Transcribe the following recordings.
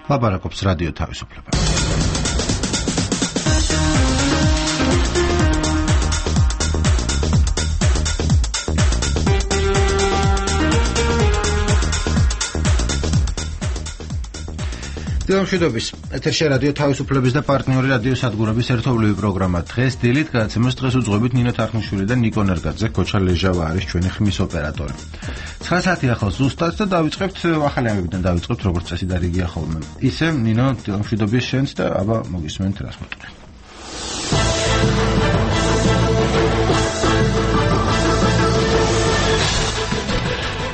ლაპარაკობს რადიო თავისუფლება. დილამშვიდობის, ეთერში რადიო თავისუფლების და პარტნიორი რადიო სადგურების ერთობლივი პროგრამა. დღეს დილით გადაცემას დღეს უძღვებით ნინო თარხნიშვილი და ნიკო ნერგაძე, ქოჩა ლეჟავა არის ჩვენი ხმის ოპერატორი. 9 საათი ახლა ზუსტად და დავიწყებთ ახალი ამბებიდან დავიწყებთ როგორც წესი და რიგია ხოლმე. ისე ნინო დილამშვიდობის შენს და აბა მოგისმენთ რას მოწყვეტ.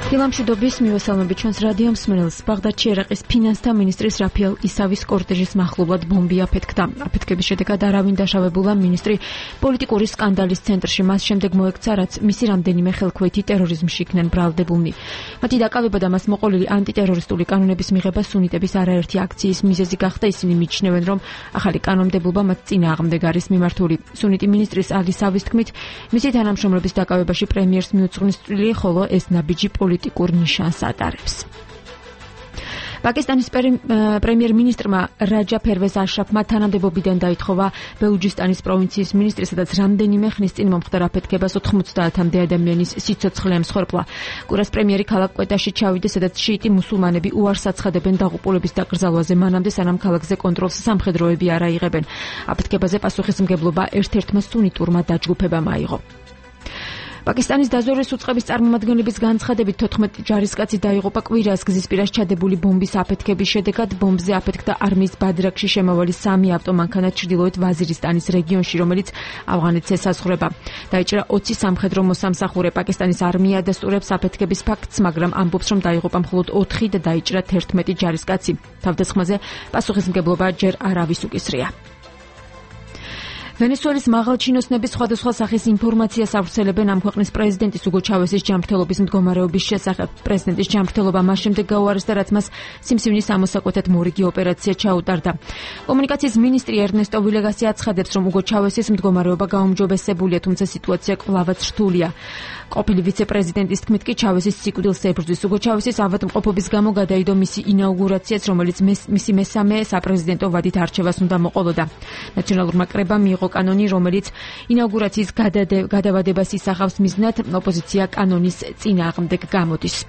დილამშვიდობის მივესალმებით ჩვენს რადიო მსმენელს. ბაღდადში ერაყის ფინანსთა მინისტრის რაფიელ ისავის კორტეჟის მახლობლად ბომბი აფეთქდა. აფეთქების შედეგად არავინ დაშავებულა მინისტრი პოლიტიკური სკანდალის ცენტრში. მას შემდეგ მოექცა, რაც მისი რამდენიმე ხელქვეითი ტერორიზმში იქნენ ბრალდებულნი. მათი დაკავება და მას მოყოლილი ანტიტერორისტული კანონების მიღება სუნიტების არაერთი აქციის მიზეზი გახდა. ისინი მიიჩნევენ, რომ ახალი კანონმდებლობა მათ წინააღმდეგ არის მიმართული. სუნიტი მინისტრის ალისავის თქმით, მისი თანამშრომლების დაკავებაში პრემიერს მიუძღვნის წვლილი, ხოლო ეს ნაბიჯი პოლიტიკურ ნიშანს ატარებს. პაკისტანის პრემიერ-მინისტრმა რაჯა ფერვეზ აშრაფმა თანამდებობიდან დაითხოვა ბელუჯისტანის პროვინციის მინისტრი, სადაც რამდენიმე ხნის წინ მომხდარ აფეთქებას 90-მდე ადამიანის სიცოცხლე ემსხვერპლა. კურას პრემიერი ქალაქ კვეტაში ჩავიდა, სადაც შიიტი მუსულმანები უარს აცხადებენ დაღუპულების დაკრძალვაზე, მანამდე სანამ ქალაქზე კონტროლს სამხედროები არ აიღებენ. აფეთქებაზე პასუხისმგებლობა ერთ-ერთმა სუნიტურმა დაჯგუფებამ აიღო. პაკისტანის დაზვერვის უწყების წარმომადგენლების განცხადებით 14 ჯარისკაცი დაიღუპა კვირას გზისპირას ჩადებული ბომბის აფეთქების შედეგად. ბომბზე აფეთქდა არმიის ბადრაქში შემავალი 3 ავტომანქანა ჩრდილოეთ ვაზირისტანის რეგიონში, რომელიც ავღანეთს ესაზღვრება. დაიჭრა 20 სამხედრო მოსამსახურე. პაკისტანის არმია ადასტურებს აფეთქების ფაქტს, მაგრამ ამბობს, რომ დაიღუპა მხოლოდ 4 და დაიჭრა 11 ჯარისკაცი. თავდასხმაზე პასუხისმგებლობა ჯერ არავის უკისრია. ვენესუელის მაღალჩინოსნების სხვადასხვა სახის ინფორმაციას ავრცელებენ ამ ქვეყნის პრეზიდენტის უგო ჩავესის ჯანმრთელობის მდგომარეობის შესახებ. პრეზიდენტის ჯანმრთელობა მას შემდეგ გაუარესდა, რაც მას სიმსივნის ამოსაკვეთად მორიგი ოპერაცია ჩაუტარდა. კომუნიკაციის მინისტრი ერნესტო ვილეგასი აცხადებს, რომ უგო ჩავესის მდგომარეობა გაუმჯობესებულია, თუმცა სიტუაცია კვლავაც რთულია. ყოფილი ვიცე-პრეზიდენტის თქმით კი ჩავესის სიკვდილს ებრძვის. უგო ჩავესის ავადმყოფობის გამო გადაიდო მისი ინაუგურაციაც, რომელიც მისი მესამე საპრეზიდენტო ვადით არჩევას უნდა მოყოლოდა. ნაციონალურმა კრებამ მიიღო კანონი, რომელიც ინაუგურაციის გადავადებას ისახავს, მიზნად ოპოზიცია კანონის წინააღმდეგ გამოდის.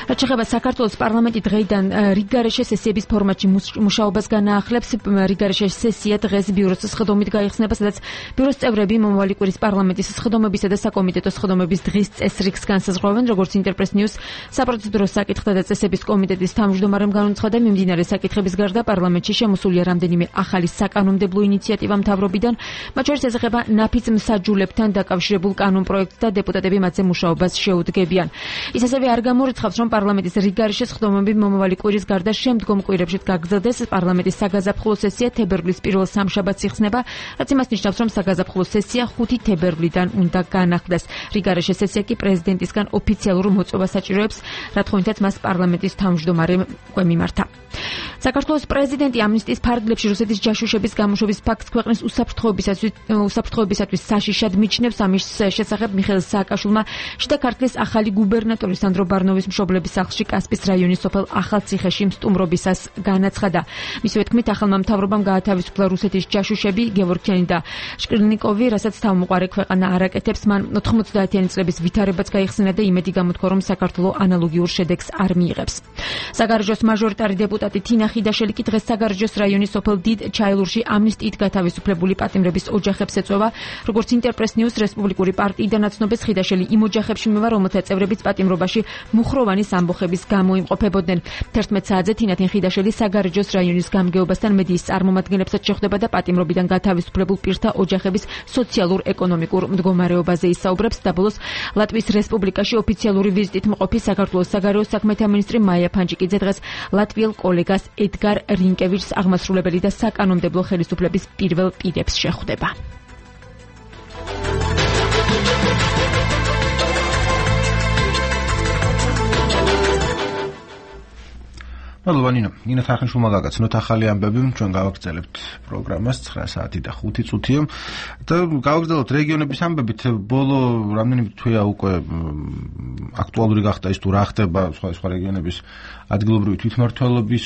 რაც შეეხება საქართველოს პარლამენტი დღეიდან რიგგარეშე სესიების ფორმატში მუშაობას განაახლებს. რიგგარეშე სესია დღეს ბიუროს სხდომით გაიხსნება, სადაც ბიუროს წევრები მომავალი კვირის პარლამენტის სხდომებისა და საკომიტეტო სხდომების დღის წესრიგს განსაზღვრავენ. როგორც ინტერპრეს ნიუს საპროცედურო საკითხთა და წესების კომიტეტის თავმჯდომარემ განუცხადა, მიმდინარე საკითხების გარდა პარლამენტში შემოსულია რამდენიმე ახალი საკანონმდებლო ინიციატივა მთავრობიდან, მათ შორის ეხება ნაფიც მსაჯულებთან დაკავშირებულ კანონპროექტს და დეპუტატები მათზე მუშაობას შეუდგებიან. ის ასევე არ გამორიცხავს, რომ პარლამენტის რიგგარეშე სხდომები მომავალი კვირის გარდა შემდგომ კვირებშიც გაგრძელდეს. პარლამენტის საგაზაფხულო სესია თებერვლის პირველ სამშაბათს იხსნება, რაც იმას ნიშნავს, რომ საგაზაფხულო სესია 5 თებერვლიდან უნდა განახლდეს. რიგგარეშე სესია კი პრეზიდენტისგან ოფიციალურ მოწვევას საჭიროებს, რა თქონითაც მას პარლამენტის თავმჯდომარემ უკვე მიმართა. საქართველოს პრეზიდენტი ამნისტიის ფარგლებში რუსეთის ჯაშუშების გამოშვების ფაქტს ქვეყნის უსაფრთხოებისათვის საშიშად მიჩნევს. ამის შესახებ მიხეილ სააკაშვილმა შიდა ქართლის ახალი გუბერნატორი სანდრო ბარნოვის მშობლების სახლში კასპის რაიონის სოფელ ახალციხეში მსტუმრობისას განაცხადა. მისივე თქმით, ახალმა მთავრობამ გაათავისუფლა რუსეთის ჯაშუშები გევორქიანი და შკრილნიკოვი, რასაც თავმოყარე ქვეყანა არ აკეთებს. მან 90-იანი წლების ვითარებაც გაიხსნა და იმედი გამოთქვა, რომ საქართველო ანალოგიურ შედეგს არ მიიღებს. საგარეჯოს მაჟორიტარი დეპუტატი თინა ხიდაშელი კი დღეს საგარეჯოს რაიონის სოფელ დიდ ჩაილურში ამნისტიით გათავისუფლებული პატიმრების ოჯახებს ეწვევა. როგორც ინტერპრეს ნიუს რესპუბლიკური პარტიიდან აცნობეს, ხიდაშელი იმ ოჯახებში მივა, რომელთა წევრებიც პატიმრობაში მუხროვანის ამბოხების გამო იმყოფებოდნენ. 11 საათზე თინათინ ხიდაშელი საგარეჯოს რაიონის გამგეობასთან მედიის წარმომადგენლებსაც შეხვდება და პატიმრობიდან გათავისუფლებულ პირთა ოჯახების სოციალურ-ეკონომიკურ მდგომარეობაზე ისაუბრებს. და ბოლოს ლატვიის რესპუბლიკაში ოფიციალური ვიზიტით მყოფი საქართველოს საგარეო საქმეთა მინისტრი მაია ფანჯიკიძე დღეს ლატვიელ კოლეგას ედგარ რინკევიჩს აღმასრულებელი და საკანონმდებლო ხელისუფლების პირველ პირებს შეხვდება. მადლობა ნინო. ნინო თარხნიშვილმა გაგაცნოთ ახალი ამბები, ჩვენ გავაგრძელებთ პროგრამას 9 საათი და 5 წუთია და გავაგრძელოთ რეგიონების ამბებით. ბოლო რამდენიმე თვეა უკვე აქტუალური გახდა ის თუ რა ხდება სხვა რეგიონების ადგილობრივი თვითმმართველობის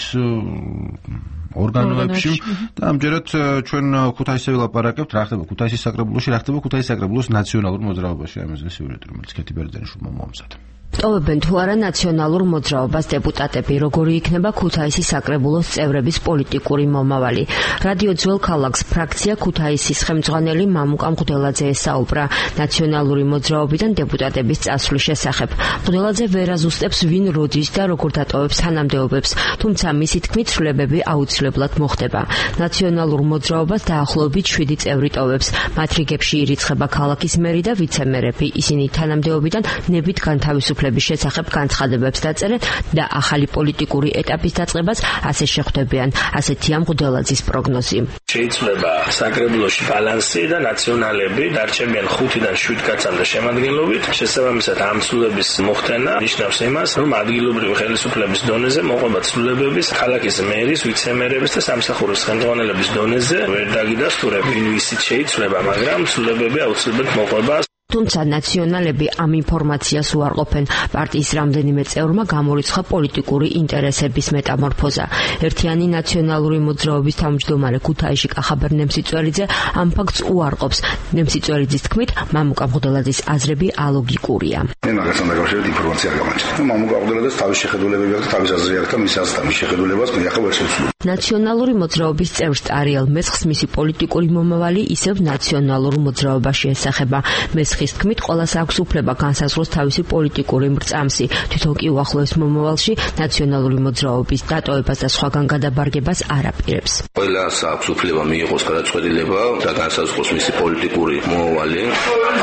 ორგანოებში და ამჯერად ჩვენ ქუთაისზე ვილაპარაკებთ, რა ხდება ქუთაისის საკრებულოში, რა ხდება ქუთაისის საკრებულოს ნაციონალურ მოძრაობაში, ამაზე სიუჟეტი, რომელიც ქეთი ბერძენიშვილმა მოამზადა. ტოვებენ თუ არა ნაციონალურ მოძრაობას დეპუტატები, როგორი იქნება ქუთაისის საკრებულოს წევრების პოლიტიკური მომავალი. რადიო ძველ ქალაქს ფრაქცია ქუთაისის ხელმძღვანელი მამუკა მღვდელაძე ესაუბრა ნაციონალური მოძრაობიდან დეპუტატების წასვლის შესახებ. მღვდელაძე ვერ აზუსტებს ვინ როდის და როგორ დატოვებს თანამდებობებს, თუმცა მისი თქმით ცვლილებები აუცილებლად მოხდება. ნაციონალურ მოძრაობას დაახლოებით 7 წევრი ტოვებს. მათ რიგებში ირიცხება ქალაქის მერი და ვიცე-მერები. ისინი თანამდებობიდან ნებით განთავისუფლების შესახებ განცხადებებს დაწერენ და ახალი პოლიტიკური ეტაპის დაწყებას ასე შეხვდებიან. ასეთია მღვდელაძის პროგნოზი. შეიძლება საკრებულოში ბალანსი და ნაციონალები დარჩებიან 5-დან 7 კაცამდე შემადგენლობით. შესაბამისად ამ ცვლილების მოხდენა ნიშნავს იმას, რომ ადგილობრივი ხელისუფლების დონეზე მოყვება ცვლილებების ქალაქის მერის, ვიცე-მერების და სამსახურის ხელმძღვანელების დონეზე ვერ დაგიდასტურებ ვინ ვისით შეიცვლება, მაგრამ ცვლილებები აუცილებლად მოყვება. თუმცა ნაციონალები ამ ინფორმაციას უარყოფენ. პარტიის რამდენიმე წევრმა გამორიცხა პოლიტიკური ინტერესების მეტამორფოზა. ერთიანი ნაციონალური მოძრაობის თავმჯდომარე ქუთაისში კახაბერ ნემსიწვერიძე ამ ფაქტს უარყოფს. ნემსიწვერიძის თქმით, მამუკა მღვდელაძის აზრები ალოგიკურია. მე მაგასთან დაკავშირებით ინფორმაცია არ გამაჩნია. მამუკა მღვდელაძეს თავის შეხედულებები აქვს, თავის აზრი აქვს და მის აზრთან შეხედულებას მე ახლა ვერ შევცვლი. ნაციონალური მოძრაობის წევრს ტარიელ მესხს მისი პოლიტიკური მომავალი ისევ ნაციონალურ მოძრაობაში ესახება. მესხის თქმით, ყველას აქვს უფლება განსაზღვროს თავისი პოლიტიკური მრწამსი. თვითონ კი უახლოეს მომავალში ნაციონალური მოძრაობის დატოვებას და სხვაგან გადაბარგებას არ აპირებს. ყველას აქვს უფლება მიიღოს გადაწყვეტილება და განსაზღვროს მისი პოლიტიკური მომავალი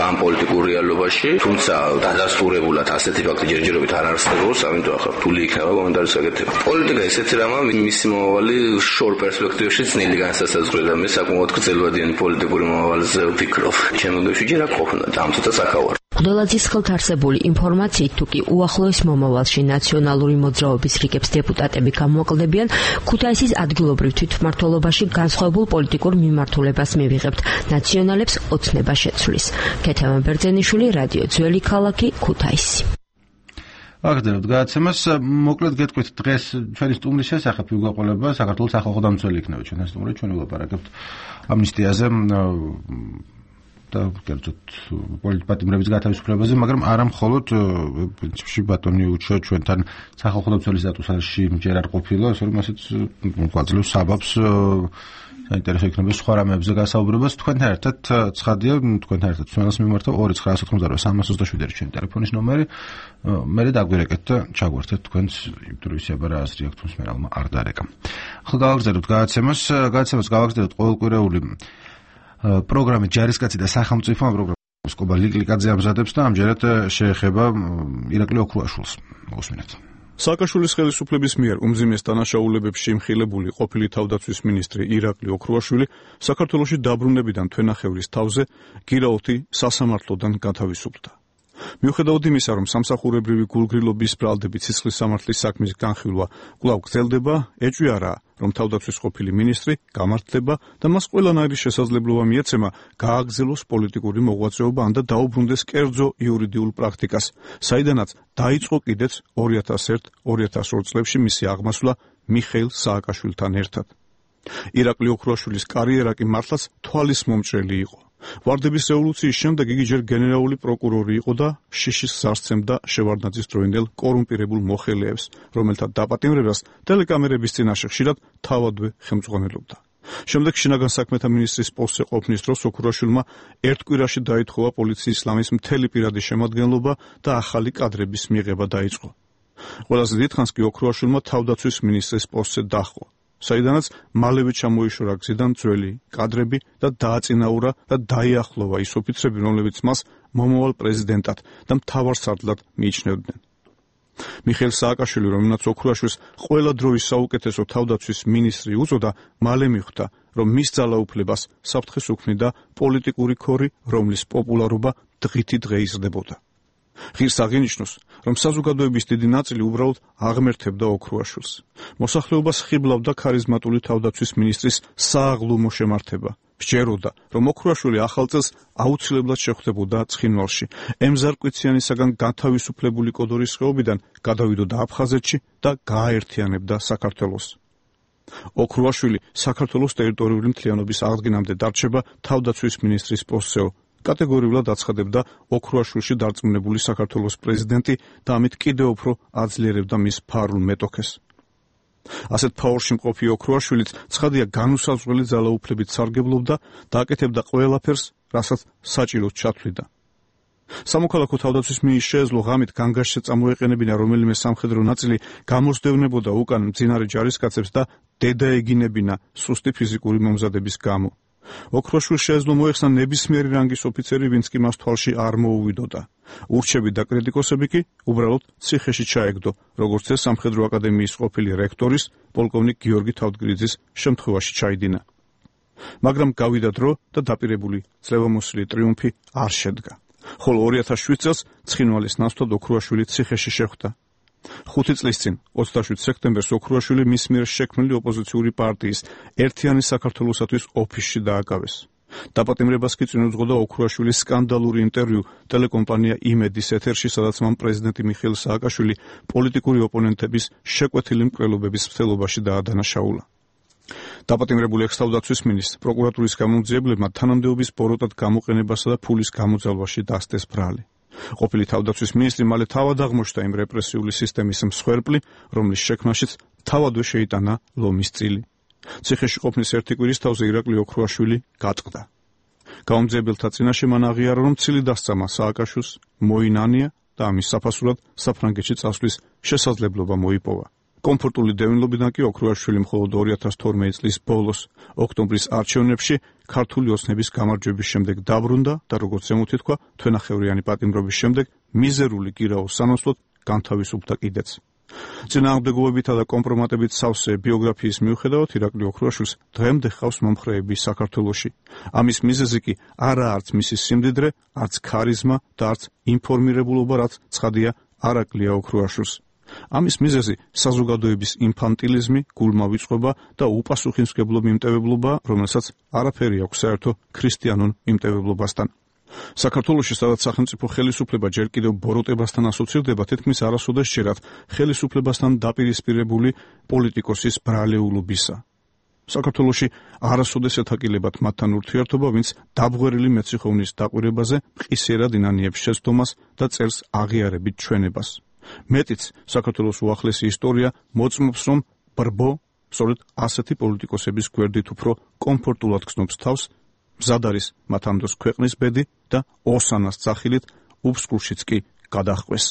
ამ პოლიტიკურ რეალობაში, თუმცა დადასტურებულად ასეთი ფაქტი ჯერჯერობით არ არსებობს, ამიტომ ახლა რთული იქნება კომენტარის გაკეთება. პოლიტიკა ისეთი რამაა, მისი მომავალი შორ პერსპექტივაში ძნელი განსასაზღვრია და მე საკმაოდ გრძელვადიანი პოლიტიკური მომავალზე ვფიქრობ. ჩემოგებში ჯერ აქ ყოფნა და ამ ცოტა საკავარ. მღვდელაძის ხელთ არსებული ინფორმაციით თუ კი უახლოეს მომავალში ნაციონალური მოძრაობის რიგებს დეპუტატები გამოაკლდებიან, ქუთაისის ადგილობრივ თვითმმართველობაში განსხვავებულ პოლიტიკურ მიმართულებას მივიღებთ. ნაციონალებს ოცნება შეცვლის. ქეთემა ბერძენიშვილი, რადიო ძველი ქალაქი, ქუთაისი. აგრძელებთ გადაცემას. მოკლედ გეტყვით დღეს ჩვენი სტუმრის შესახებ ვიგვაყოლება საქართველოს სახალხო დამცველი იქნება ჩვენთან სტუმრი, ჩვენ ვილაპარაკებთ ამნისტიაზე და კერძოდ პოლიტპატიმრების გათავისუფლებაზე, მაგრამ არა მხოლოდ პრინციპში ბატონი უჩო ჩვენთან სახალხო დამცველის სტატუსში ჯერ არ ყოფილა, ასე რომ ასეც გვაძლევს საბაბს საინტერესო იქნება სხვა რამებზე გასაუბრებას. თქვენთან ერთად ცხადია, თქვენთან ერთად ცნობას მიმართავ 2988327 ჩვენი ტელეფონის ნომერი. მე დაგვირეკეთ და ჩაგვერთეთ თქვენს ინტერვიუსება რა აზრი აქვს თუმცა მე არ დარეკა. ახლა გავაგრძელებთ გადაცემას გავაგრძელებთ ყოველკვირეული პროგრამით ჯარისკაცი და სახელმწიფო პროგრამის კობა ლიკლიკაძე ამზადებს და ამჯერად შეეხება ირაკლი ოქრუაშვილს. მოგესმინათ. სააკაშვილის ხელისუფლების მიერ უმძიმეს დანაშაულებებში იმხილებული ყოფილი თავდაცვის მინისტრი ირაკლი ოქრუაშვილი საქართველოში დაბრუნებიდან თვენახევრის თავზე გირაოთი სასამართლოდან გათავისუფლდა. მიუხედავად იმისა, რომ სამსახურებრივი გულგრილობის ბრალდები ცისხლის სამართლის საქმის განხილვა კვლავ გრძელდება, ეჭვი არაა, რომ თავდაცვის ყოფილი მინისტრი გამართლდება და მას ყველანაირი შესაძლებლობა მიეცემა გააგრძელოს პოლიტიკური მოღვაწეობა ან და დაუბრუნდეს კერძო იურიდიულ პრაქტიკას, საიდანაც დაიწყო კიდეც 2001-2002 წლებში მისი აღმასვლა მიხეილ სააკაშვილთან ერთად. ირაკლი ოქრუაშვილის კარიერა კი მართლაც თვალის მომჭრელი იყო. ვარდების რევოლუციის შემდეგ იგი ჯერ გენერალური პროკურორი იყო და შიშის გზარცემდა შევარდნაძის დროინდელ კორუმპირებულ მოხელეებს, რომელთა დაპატიმრებას ტელეკამერების წინაშე ხშირად თავადვე ხელმძღვანელობდა. შემდეგ შინაგან საქმეთა მინისტრის პოსტზე ყოფნის დროს ოქრუაშვილმა ერთ კვირაში დაითხოვა პოლიციის ლამის მთელი პირადი შემადგენლობა და ახალი კადრების მიღება დაიწყო. ყველაზე დიდხანს კი ოქრუაშვილმა თავდაცვის მინისტრის პოსტზე დაჰყო, საიდანაც მალევე ჩამოიშორა გზიდან ძველი კადრები და დააწინაურა და დაიახლოვა ის ოფიცრები, რომლებიც მას მომავალ პრეზიდენტად და მთავარ სარდლად მიიჩნევდნენ. მიხეილ სააკაშვილი, რომელმაც ოქრუაშვილს ყველა დროის საუკეთესო თავდაცვის მინისტრი უწოდა, მალე მიხვდა, რომ მის ძალაუფლებას საფრთხეს უქმნიდა პოლიტიკური ქორი, რომლის პოპულარობა დღითი დღე იზრდებოდა. ღირს აღინიშნოს, რომ საზოგადოების დიდი ნაწილი უბრალოდ აღმერთებდა ოქრუაშვილს. მოსახლეობას ხიბლავდა ქარიზმატული თავდაცვის მინისტრის სააღლუმო შემართება. სჯეროდა, რომ ოქრუაშვილი ახალ წელს აუცილებლად შეხვდებოდა ცხინვალში, ემზარკვიციანისაგან განთავისუფლებული კოდორის ხეობიდან გადავიდოდა აფხაზეთში და გააერთიანებდა საქართველოს. ოქრუაშვილი საქართველოს ტერიტორიული მთლიანობის აღდგენამდე დარჩება თავდაცვის მინისტრის პოსტზეო. კატეგორიულად აცხადებდა ოქრუაშვილში დარწმუნებული საქართველოს პრეზიდენტი და ამით კიდევ უფრო აძლიერებდა მის ფარულ მეტოქეს. ასეთ ფაორში მყოფი ოქრუაშვილიც ცხადია განუსაზღვრელი ძალაუფლებით სარგებლობდა და აკეთებდა ყველაფერს, რასაც საჭიროდ ჩათვლიდა. სამოქალაქო თავდაცვის მინისტრს შეეძლო ღამით განგაშზე წამოეყენებინა რომელიმე სამხედრო ნაწილი, გამოსდევნებოდა უკან მძინარე ჯარისკაცებს და დედაეგინებინა სუსტი ფიზიკური მომზადების გამო. ოქრუაშვილს შეეძლო მოეხსნა ნებისმიერი რანგის ოფიცერი, ვინც კი მას თვალში არ მოუვიდოდა. ურჩები და კრიტიკოსები კი უბრალოდ ციხეში ჩაეგდო, როგორც ეს სამხედრო აკადემიის ყოფილი რექტორის, პოლკოვნიკ გიორგი თავდგრიძის შემთხვევაში ჩაიდინა. მაგრამ გავიდა დრო და დაპირებული ძლევამოსილი ტრიუმფი არ შედგა. ხოლო 2007 წელს ცხინვალის ნაცვლად ოქრუაშვილი ციხეში შეხვდა. 5 წლის წინ 27 სექტემბერს ოქრუაშვილი მის მიერ შექმნილი ოპოზიციური პარტიის ერთიანი საქართველოსათვის ოფისში დააკავეს. დაპატიმრებას კი წინ უძღოდა ოქრუაშვილის სკანდალური ინტერვიუ ტელეკომპანია იმედის ეთერში, სადაც მან პრეზიდენტი მიხეილ სააკაშვილი პოლიტიკური ოპონენტების შეკვეთილი მკვლელობების მცდელობაში დაადანაშაულა. დაპატიმრებული ექს-თავდაცვის მინისტრს პროკურატურის გამომძიებლებმა თანამდებობის ბოროტად გამოყენებასა და ფულის გამოძალვაში დასდეს ბრალი. ყოფილი თავდაცვის მინისტრი მალე თავად აღმოჩნდა იმ რეპრესიული სისტემის მსხვერპლი, რომლის შექმნაშიც თავადვე შეიტანა ლომის წილი. ციხეში ყოფნის ერთი კვირის თავზე ირაკლი ოქრუაშვილი გატყდა. გამომძიებელთა წინაშე მან აღიარა, რომ ცილი დასწამა სააკაშვილს, მოინანია და ამის საფასურად საფრანგეთში წასვლის შესაძლებლობა მოიპოვა. კომფორტული დევნილობიდან კი ოქრუაშვილი მხოლოდ 2012 წლის ბოლოს, ოქტომბრის არჩევნებში ქართული ოცნების გამარჯვების შემდეგ დაბრუნდა და როგორც ზემოთ ითქვა, თვენახევრიანი პატიმრობის შემდეგ მიზერული გირაოს სანაცვლოდ განთავისუფლდა კიდეც. წინააღმდეგობებითა და კომპრომატებით სავსე ბიოგრაფიის მიუხედავად, ირაკლი ოქრუაშვილს დღემდე ჰყავს მომხრეები საქართველოში. ამის მიზეზი კი არაა არც მისი სიმდიდრე, არც ქარიზმა და არც ინფორმირებულობა, რაც ცხადია არ აკლია ოქრუაშვილს. ამის მიზეზი საზოგადოების ინფანტილიზმი, გულმავიწყობა და უპასუხისმგებლო მიმტევებლობა, რომელსაც არაფერი აქვს საერთო ქრისტიანულ მიმტევებლობასთან. საქართველოში, სადაც სახელმწიფო ხელისუფლება ჯერ კიდევ ბოროტებასთან ასოცირდება, თითქმის არასოდეს შეერათ ხელისუფლებასთან დაპირისპირებული პოლიტიკოსის ბრალეულობისა. საქართველოში არასოდეს ეთაკილებათ მათთან ურთიერთობა, ვინც დაბღვერილი მეციხოვნის დაკვირებაზე მყისიერად ინანიებს შეცდომას და წერს აღიარებით ჩვენებას. მეტიც, საქართველოს უახლესი ისტორია მოწმობს, რომ ბრბო სწორედ ასეთი პოლიტიკოსების გვერდით უფრო კომფორტულად გრძნობს თავს, მზად არის მათ ამ დროს ქვეყნის ბედი და ოსანას ძახილით უფსკულშიც კი გადაჰყვეს.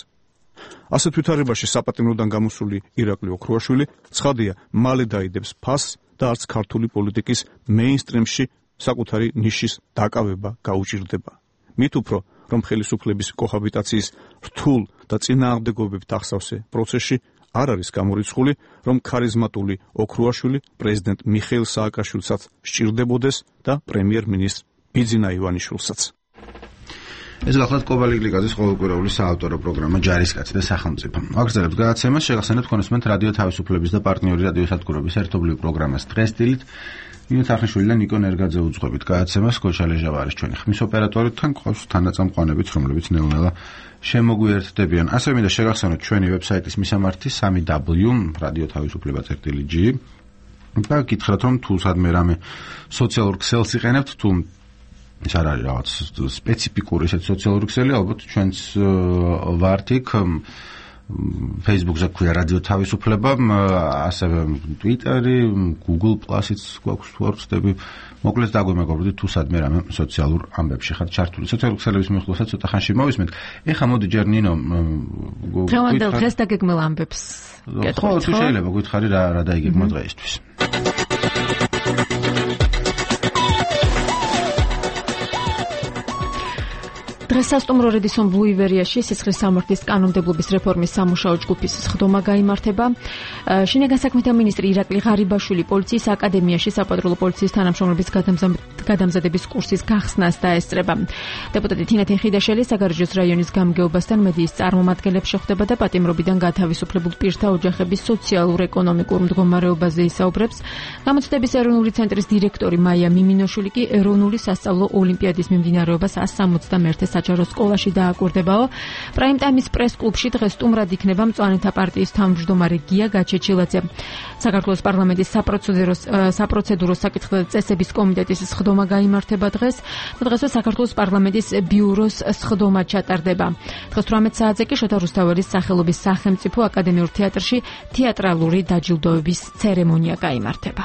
ასეთ ვითარებაში საპატიმროდან გამოსული ირაკლი ოქრუაშვილი ცხადია მალე დაიდებს ფასს და არც ქართული პოლიტიკის მეინსტრიმში საკუთარი ნიშის დაკავება გაუჭირდება. მით უფრო, რომ ხელისუფლების კოჰაბიტაციის რთულ და წინააღმდეგობებით ახსავსე პროცესში არ არის გამორიცხული, რომ ქარიზმატული ოქრუაშვილი პრეზიდენტ მიხეილ სააკაშვილსაც სჭირდებოდეს და პრემიერ-მინისტრ ბიძინა ივანიშვილსაც. ეს გახლავთ კობალიკლიკაძის ყოველკვირეული საავტორო პროგრამა ჯარისკაცი და სახელმწიფო. აგრძელებთ გადაცემას, შეგახსენებთ კონსუმენტ რადიო თავისუფლების და პარტნიორი რადიო სადგურების ერთობლივ პროგრამას დღეს დილით ნინო თარხნიშვილი და ნიკო ნერგაძე უძღვებით გადაცემას. კოჩა ლეჟავა არის ჩვენი ხმის ოპერატორი, თან ყავს თანაწამყვანებიც, რომლებიც ნელ-ნელა შემოგვიერთდებიან. ასევე მინდა შეგახსენოთ ჩვენი ვებსაიტის მისამართი 3w.radioთავისუფლება.lg და გითხრათ, რომ თუ სადმე რამე სოციალურ ქსელს იყენებთ, თუ ეს არ არის რაღაც სპეციფიკური ესეთ სოციალური ქსელი, ალბათ ჩვენც ვართ იქ Facebook-ზე გვქვია რადიო თავისუფლება, ასევე Twitter-ი, Google Plus-იც გვაქვს თუ არ ვცდები. მოკლედ დაგვემეგობრდით თუ სადმე რამე სოციალურ ამბებში ხართ ჩართული. სოციალურ ქსელების მიხლოსაც ცოტა ხანში მოვისმენთ. ეხლა მოდი ჯერ ნინო დღევანდელ დღეს დაგეგმილ ამბებს გეტყვით. ხო, თუ შეიძლება გითხარი რა დაიგეგმა დღეისთვის. დღეს სასტუმრო რედისონ ბლუივერიაში სისხლის სამართლის კანონმდებლობის რეფორმის სამუშაო ჯგუფის სხდომა გაიმართება. შინაგან საქმეთა მინისტრი ირაკლი ღარიბაშვილი პოლიციის აკადემიაში საპატრულო პოლიციის თანამშრომლების გადამზადებით გადამზადების კურსის გახსნას დაესწრება. დეპუტატი თინა თიხიდაშელი საგარეჯოს რაიონის გამგეობასთან მედიის წარმომადგენლებს შეხვდება და პატიმრობიდან გათავისუფლებულ პირთა ოჯახების სოციალურ-ეკონომიკურ მდგომარეობაზე ისაუბრებს. გამოცდების ეროვნული ცენტრის დირექტორი მაია მიმინოშვილი კი ეროვნული სასწავლო ოლიმპიადის მიმდინარეობას 161 საჯარო სკოლაში დააკვირდებაო. პრაიმ ტაიმის პრეს-კლუბში დღეს სტუმრად იქნება მწვანეთა პარტიის თავმჯდომარე გია გაჩეჩილაძე. საქართველოს პარლამენტის საპროცედურო საკითხთა წესების კომიტეტის სხდომა გაიმართება დღეს. დღესვე საქართველოს პარლამენტის ბიუროს სხდომა ჩატარდება. დღეს 18 საათზე კი შოთა რუსთაველის სახელობის სახელმწიფო აკადემიურ თეატრში თეატრალური დაჯილდოების ცერემონია გაიმართება.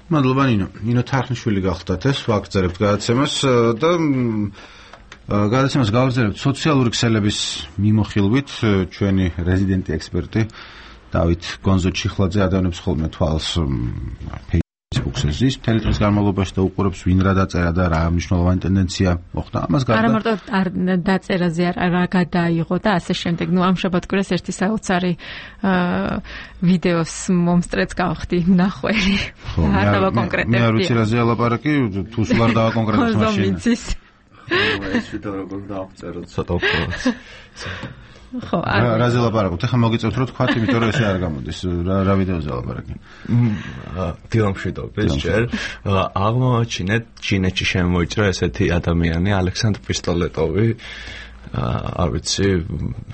მადლობა ნინო თარხნიშვილი გახლდათ ეს ვაგრძელებთ გადაცემას და გადაცემას გავაგრძელებთ სოციალური ქსელების მიმოხილვით ჩვენი რეზიდენტი ექსპერტი დავით გონზო-ჩიხლაძე ადამიანებს ხოლმე თვალს Facebook-ზე ზის მთელი დღის განმავლობაში და უყურებს ვინ რა დაწერა და რა მნიშვნელოვანი ტენდენცია მოხდა ამას გარდა არა მარტო დაწერაზე რა გადაიღო და ასე შემდეგ. ამ შაბათ-კვირას ერთი საოცარი ვიდეოს მომსწრეც გავხდი ნახველი. არ დავა კონკრეტები. მე არ ვიცი რაზე ალაპარაკი, თუ სულ არ დავა კონკრეტებს მაშინ. ეს ვიდეო როგორ დავწეროთ ცოტა უფრო. ხო, რაზე ლაპარაკობთ? ახლა მოგიწევთ რომ თქვათ, იმიტომ რომ ესე არ გამოდის. რა ვიდეოზე ლაპარაკი? დილამშვიდობის ჯერ აღმოაჩინეთ ჩინეთში შემოიჭრა ესეთი ადამიანი ალექსანდრ პისტოლეტოვი. არ ვიცი,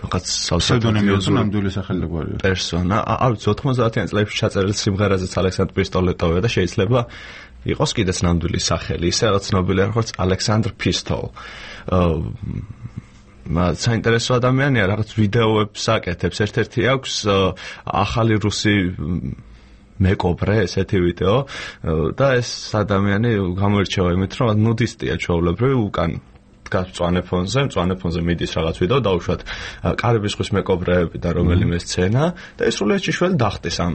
რაღაც ფსევდონიმი ნამდვილი სახელი გვარია. პერსონა, არ ვიცი 90-იან წლებში ჩაწერილი სიმღერაზეც ალექსანდრ პისტოლეტოვია და შეიძლება იყოს კიდეც ნამდვილი სახელი, ისე რაღაც ცნობილია როგორც ალექსანდრ პისტოლ. საინტერესო ადამიანია, რაღაც ვიდეოებს აკეთებს. ერთ-ერთი აქვს ახალი რუსი მეკობრე, ესეთი ვიდეო და ეს ადამიანი გამოირჩევა იმით, რომ ნუდისტია ჩვეულებრივ უკან მწვანე ფონზე მიდის რაღაც ვიდეო დაუშვათ კარიბის ზღვის მეკობრეები და რომელიმე სცენა და ეს სრულიად ჭიშველი დახტის ამ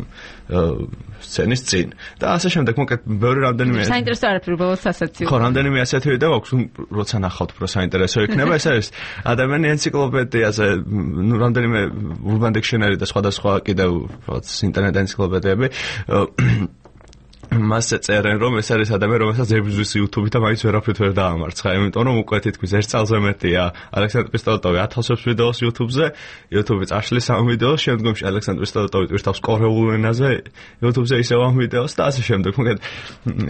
სცენის წინ და ასე შემდეგ მოკლედ ბევრი რამდენიმე საინტერესო არაფერი უბრალოდ სასაცილო ხო რამდენიმე ასეთი ვიდეო აქვს როცა ნახავთ უფრო საინტერესო იქნება ეს არის ადამიანი ენციკლოპედიაზე რამდენიმე Urban Dictionary და სხვადასხვა კიდევ რაღაც ინტერნეტ ენციკლოპედიები მასზე წერენ რომ ეს არის ადამიანი რომელსაც ებრძვის YouTube-ით და მაინც ვერაფრით ვერ დაამარცხა იმიტომ რომ უკვე თითქმის ერთ წელზე მეტია ალექსანდრ პისტოლეტოვი ათასობს ვიდეოს YouTube-ზე YouTube-ი წაშლის ამ ვიდეოს შემდგომში ალექსანდრ პისტოლეტოვი ტვირთავს კორეულ ენაზე YouTube-ზე ისევ ამ ვიდეოს და ასე შემდეგ მოკლედ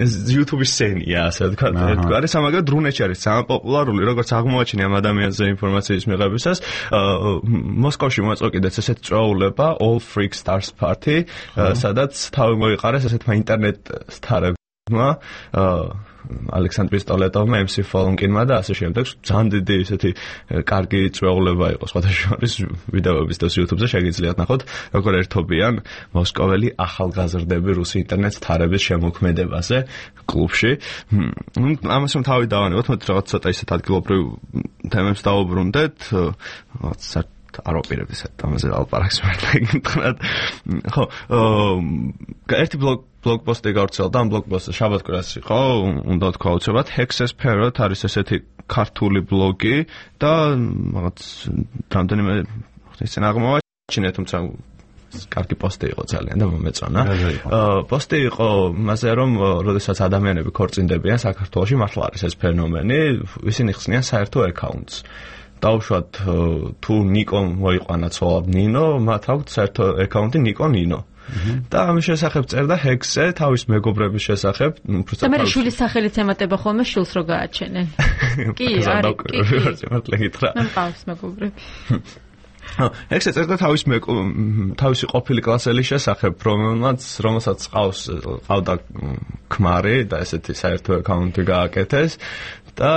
ეს YouTube-ის სცენია ასე ვთქვათ არის ამაგერ რუნეთში არის ძალიან პოპულარული როგორც აღმოაჩინე ამ ადამიანზე ინფორმაციის მიღებისას მოსკოვში მოეწყო კიდეც ესეთ წვეულება All Freak Stars Party სადაც თავი მოიყარეს ესეთმა ინტერნეტ სტარებმა ალექსანდრ პისტოლეტოვმა MC Folonkinმა და ასე შემდეგ ძალიან დიდი ესეთი კარგი წვეულება იყო სხვადასხვა ვიდეოების და YouTube-ზე შეგიძლიათ ნახოთ როგორ ერთობიან მოსკოველი ახალგაზრდები რუსი ინტერნეტ სტარების შემოქმედებაზე კლუბში ამას რომ თავი დავანებოთ მოდი რაღაც ცოტა ისეთ ადგილობრივ თემებს დავუბრუნდეთ რაღაც არ ვაპირებდი ამაზე ალპარაკს მართლა გითხრათ ხო ერთი ბლოგპოსტი გავრცელდა ამ ბლოგპოსტზე შაბათ-კვირას იყო უნდა თქვა უცებად Hexes Parrot არის ესეთი ქართული ბლოგი და რაღაც რამდენიმე ისე აღმოაჩინე თუმცა კარგი პოსტი იყო ძალიან და მომეწონა პოსტი იყო მასე რომ როდესაც ადამიანები ქორწინდებიან საქართველოში მართლა არის ეს ფენომენი ისინი ხსნიან საერთო აკაუნტს დაუშვათ თუ ნიკო მოიყვანა ცოლად ნინო მათ აქვს საერთო აკაუნტი ნიკო ნინო და ამის შესახებ წერდა ჰექსზე თავის მეგობრების შესახებ და მე შვილის სახელით ემატება ხოლმე შვილს რო გააჩენენ კი არის მართლა გითხრა მე მყავს მეგობრები ჰექსზე წერდა თავისი ყოფილი კლასელის შესახებ რომელსაც ყავდა ქმარი და ესეთი საერთო აკაუნტი გააკეთეს და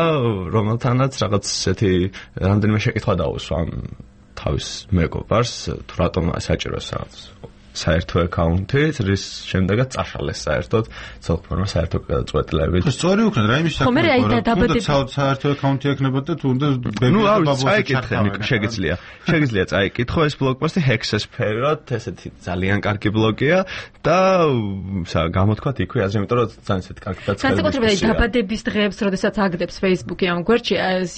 რომელთანაც რაღაც ესეთი რამდენიმე შეკითხვა დაუსვა თავის მეგობარს თუ რატომ საჭიროს რაღაც საერთო აკაუნთი, რის შემდეგაც წაშალეს საერთოდ ცოლ-ქმარმა საერთო გადაწყვეტილებით. სწორი უქნათ რა იმის საქმე რა საერთო აკაუნთი ექნებოდა თუ უნდა შეგიძლია წაიკითხო ეს ბლოგპოსტი Hexes Period, ესეთი ძალიან კარგი ბლოგია და გამოთქვათ იქვე აზრი, იმიტომ რომ ძალიან ესეთი კარგი დაწყება. განსაკუთრებით დაბადების დღეებს, როდესაც აგდებს Facebook-ი ამ გვერდში,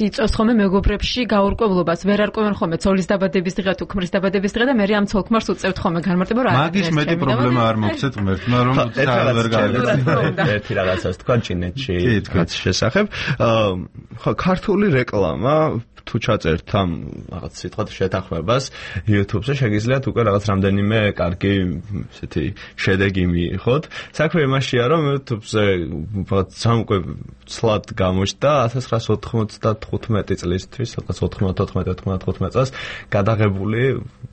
იწევს ხოლმე მეგობრებში გაურკვევლობას, ვერ არკვევენ ხოლმე ცოლის დაბადების დღე თუ ქმრის დაბადების დღე და მე ამ ცოლ-ქმარს უწევთ ხოლმე განმარტება რა. მაგის მეტი პრობლემა არ მოგცეთ ღმერთმა რომ ვერ გავიგეთ. ერთი რაღაცას თქვა ჩინეთში თქვაც შესახებ. ხო, ქართული რეკლამა თუ ჩაწერთ ამ რაღაც სიტყვათ შეთანხმებას YouTube-ზე შეგიძლიათ უკვე რაღაც რამდენიმე კარგი ესეთი შედეგი მიიღოთ. საქმე იმაშია რომ YouTube-ზე ძალიან უკვე ცლად გამოჩნდა 1995 წლისთვის, სადღაც 94-95 წელს გადაღებული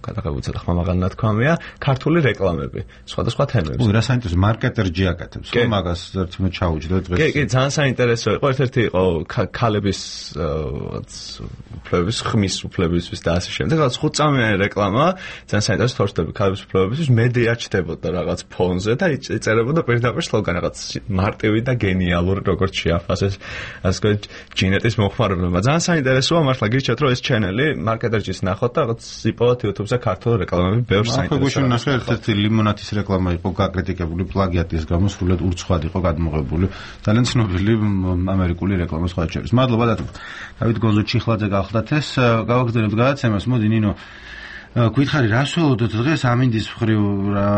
ცოტა ხმამაღალი ნათქვამია ქართული რეკლამები სხვადასხვა თემებზე. რა საინტერესო მარკეტერჯი აკეთებს, ხო მაგას ერთმე ჩაუჯდა დღეს. კი, ძალიან საინტერესო იყო. ერთ-ერთი იყო ქალების უფლებების, ხმის უფლებისთვის და ასე შემდეგ. რაღაც 5 წამიანი რეკლამა, ძალიან საინტერესო თორშდები ქალების უფლებებისთვის, მედია ჩდებოდა რაღაც ფონზე და იწერებოდა პირდაპირ სლოგანი რაღაც მარტივი და გენიალური როგორც შეაფასეს ასე ჯინეტის მოხმარებლებმა. ძალიან საინტერესოა მართლა გიჩვენეთ რომ ეს ჩენელი მარკეტერჯის ნახოთ და რაღაც იპოვოთ YouTube-ზე ქართულ რეკლამები ბევრ საინტერესო. ხო, ნახე ერთ-ერთი ლიმონათის რეკლამა იყო გაკრიტიკებული პლაგიატის გამო, სრულად ურცხვად იყო გადმოღებული. ძალიან ცნობილი ამერიკული რეკლამა სხვა შორის. მადლობა დავით გონზო ჩიხლაძე გახლდათ ეს გავაგრძელებთ გადაცემას. მოდი ნინო გვითხარი რას ველოდოთ დღეს ამინდის მხრივ რა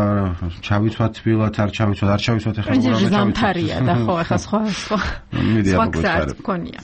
ჩავიცვათ თბილად არ ჩავიცვათ ეხლა რა ზამთარია და ხო ეხლა სხვა გზაც გქონია.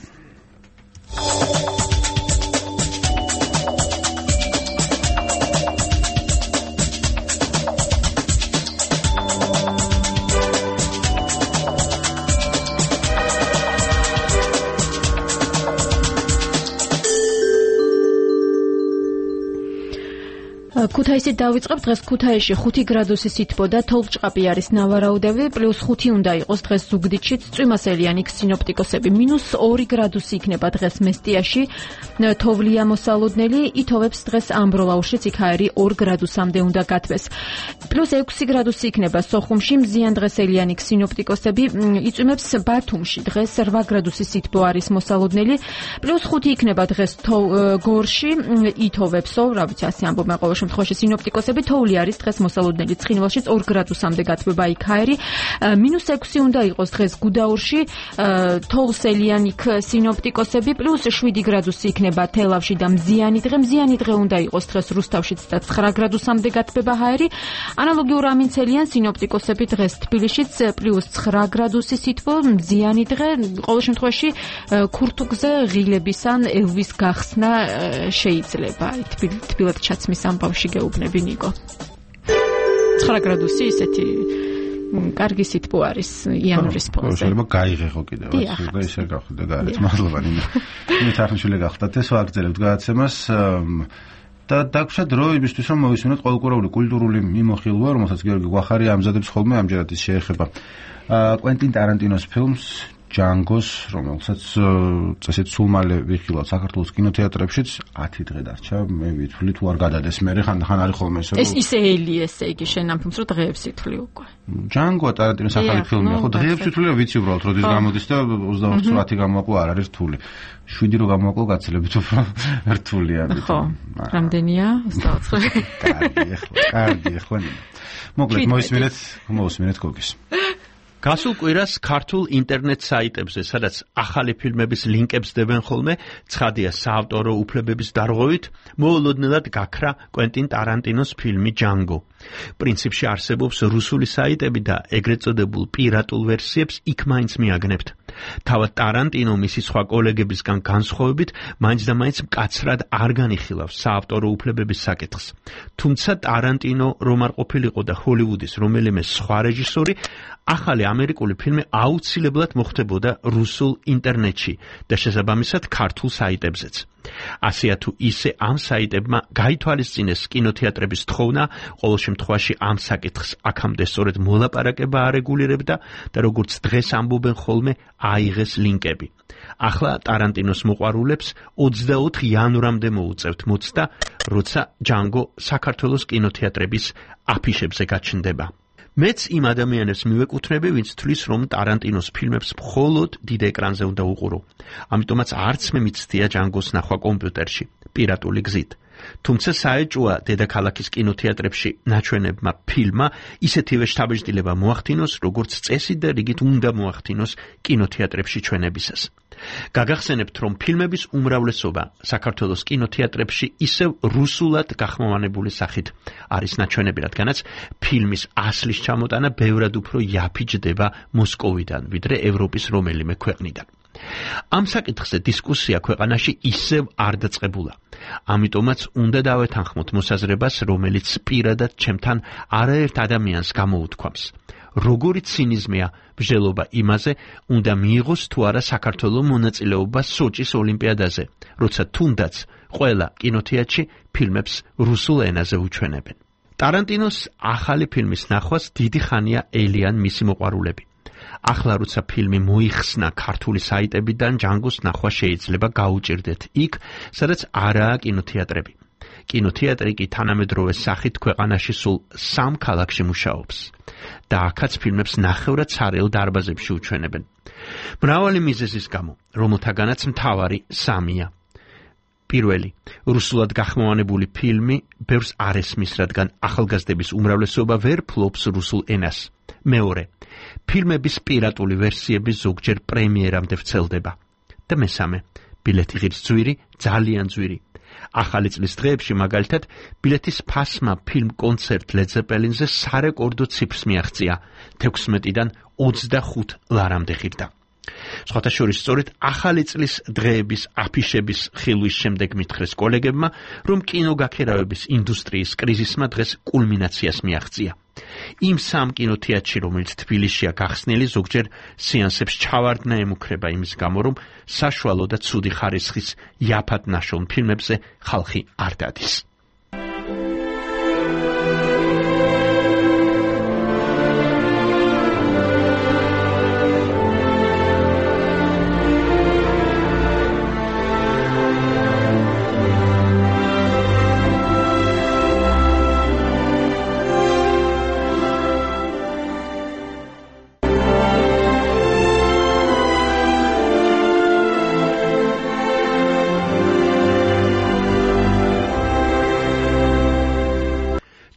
ქუთაისით დავიწყებ. დღეს ქუთაისში 5 გრადუსი სითბო და თოვლჭყაპი არის ნავარაუდები, +5 უნდა იყოს დღეს ზუგდიდშიც. წვიმასელიანი სინოპტიკოსები -2 გრადუსი იქნება დღეს მესტიაში, თოვლია მოსალოდნელი, ითოვებს დღეს ამბროლაურშიც, იქ აირი 2 გრადუსამდე უნდა გათბეს. +6 გრადუსი იქნება სოხუმში, მზიანდღესელიანი სინოპტიკოსები, იწვიმებს ბათუმში, დღეს 8 გრადუსი სითბო არის მოსალოდნელი, +5 იქნება დღეს გორში, ითოვებსო, რა ვიცი, ასე ამბობენ ყოველ შემთხვევაში სინოპტიკოსები, თოვლი არის დღეს მოსალოდნელი, ცხინვალშიც 2 გრადუსამდე გათბება იქ აირი, -6 უნდა იყოს დღეს გუდაურში, თოვლსელიანი სინოპტიკოსები, +7 გრადუსი იქნება თელავში და მზიანი დღე უნდა იყოს დღეს რუსთავშიც და 9 გრადუსამდე გათბება აირი, ანალოგიურ ამინცელიან სინოპტიკოსები დღეს თბილისშიც +9 გრადუსი სითბო, მზიანი დღე, ყოველ შემთხვევაში ქურთუგზე ღილების ან ელვის გახსნა შეიძლება. თბილად ჩაცმის ამბავში გეუბნები ნიკო. 9 გრადუსი ისეთი კარგი სითბო არის იანვრის ფონზე. შეიძლება გაიღეხო კიდევ და ისე გავხდე გარეთ. მადლობა ნინო. მე თარხნიშვილი გახდათ ეს ვაგრძელებთ გადაცემას და დაგვრჩა დრო იმისთვის რომ მოვისმინოთ ყოველკვირეული კულტურული მიმოხილვა, რომელსაც გიორგი გვახარი ამზადებს ხოლმე, ამჯერად ის შეეხება კვენტინ ტარანტინოს ფილმს ჯანგოს, რომელსაც წესით სულ მალე ვიხილავთ საქართველოს კინოთეატრებშიც 10 დღე დარჩა. მე ვითვლი თუ არ გადადეს მერე ხან არის ხოლმე ესე რომ ეს ისე ელი ესე იგი შენ ამ ფილმს რო დღეებს ითვლი უკვე. ჯანგო ტარანტინოს ახალი ფილმია, ხო დღეებს ვითვლი ვიცი უბრალოდ როდის გამოდის და 28 გამოაკლო არ არის რთული. 7 რო გამოაკლო გაცილებით უფრო რთულია. ხო, რამდენია? 29. კარგი, ხო. მოკლედ მოისმინეთ გოგის. გასულ კვირას ქართულ ინტერნეტ საიტებზე, სადაც ახალი ფილმების ლინკებს დებენ ხოლმე, ცხადია საავტორო უფლებების დარღვევით, მოულოდნელად გაქრა კვენტინ ტარანტინოს ფილმი ჯანგო. პრინციპში არსებობს რუსული საიტები და ეგრეთ წოდებულ პირატულ ვერსიებს იქ მაინც მიაგნებთ. თავად ტარანტინო მისი სხვა კოლეგებისგან განსხვავებით, მაინც და მაინც მკაცრად არ განიხილავს საავტორო უფლებების საკითხს. თუმცა ტარანტინო რომ არ ყოფილიყო და ჰოლივუდის რომელიმე სხვა რეჟისორი, ახალი ამერიკული ფილმი აუცილებლად მოხდებოდა რუსულ ინტერნეტში და შესაბამისად ქართულ საიტებზეც. ასეა თუ ისე ამ საიტებმა გაითვალისწინეს კინოთეატრების თხოვნა, ყოველ შემთხვევაში ამ საკითხს აქამდე სწორედ მოლაპარაკება არეგულირებდა და როგორც დღეს ამბობენ ხოლმე, აიღეს ლინკები. ახლა ტარანტინოს მოყვარულებს 24 იანვრამდე მოუწევთ მოცდა, როცა ჯანგო საქართველოს კინოთეატრების აფიშებზე გაჩნდება. მეც იმ ადამიანებს მივეკუთვნები, ვინც თვლის, რომ ტარანტინოს ფილმებს მხოლოდ დიდ ეკრანზე უნდა უყურო. ამიტომაც არც მე მიცდია ჯანგოს ნახვა კომპიუტერში, პირატული გზით. თუმცა საეჭვოა დედაქალაქის კინოთეატრებში ნაჩვენებმა ფილმმა ისეთივე შთაბეჭდილება მოახდინოს, როგორც წესით და რიგით უნდა მოახდინოს კინოთეატრებში ჩვენებისას. გაგახსენებთ, რომ ფილმების უმრავლესობა საქართველოს კინოთეატრებში ისევ რუსულად გახმოვანებული სახით არის ნაჩვენები, რადგანაც ფილმის ასლის ჩამოტანა ბევრად უფრო იაფიჯდება მოსკოვიდან, ვიდრე ევროპის რომელიმე ქვეყნიდან. ამ საკითხზე დისკუსია ქვეყანაში ისევ არ დაწყებულა. ამიტომაც უნდა დავეთანხმოთ მოსაზრებას, რომელიც პირადად ჩემთან არაერთ ადამიანს გამოუთქვამს. როგორი ცინიზმია ბრძოლობა იმაზე, უნდა მიიღოს თუ არა საქართველოს მონაწილეობა სოჭის ოლიმპიადაზე, როცა თუნდაც ყველა კინოთეატრში ფილმებს რუსულ ენაზე უჩვენებენ. ტარანტინოს ახალი ფილმის ნახვას დიდი ხანია ელიან მისი მოყვარულები. ახლა როცა ფილმი მოიხსნა ქართული საიტებიდან, ჯანგოს ნახვა შეიძლება გაუჭირდეთ იქ, სადაც არაა კინოთეატრები. კინოთეატრი კი თანამედროვე სახით ქვეყანაში სულ 3 ქალაქში მუშაობს და აქაც ფილმებს ნახევრად სარეულ დარბაზებში უჩვენებენ. მრავალი მიზეზის გამო, რომელთაგანაც მთავარი 3-ია. პირველი, რუსულად გახმოვანებული ფილმი ბევრს არ ესმის, რადგან ახალგაზრდების უმრავლესობა ვერ ფლობს რუსულ ენას. მეორე, ფილმების პირატული ვერსიები ზოგჯერ პრემიერამდე ვრცელდება. და მესამე, ბილეთი ღირს ძვირი, ძალიან ძვირი. ახალი წლის დღეებში მაგალითად ბილეთის ფასმა ფილმ კონცერტ ლედ ზეპელინზე სარეკორდო ციფრს მიაღწია, 16-დან 25 ლარამდე ღირდა. სხვათა შორის სწორედ ახალი წლის დღეების აფიშების ხილვის შემდეგ მითხრეს კოლეგებმა, რომ კინოგაქერავების ინდუსტრიის კრიზისმა დღეს კულმინაციას მიაღწია. იმ 3 კინოთეატრში, რომელიც თბილისშია გახსნილი, ზოგჯერ სეანსებს ჩავარდნა ემუქრება იმის გამო, რომ საშუალო და ცუდი ხარისხის იაფად ნაშრომ ფილმებზე ხალხი არ დადის.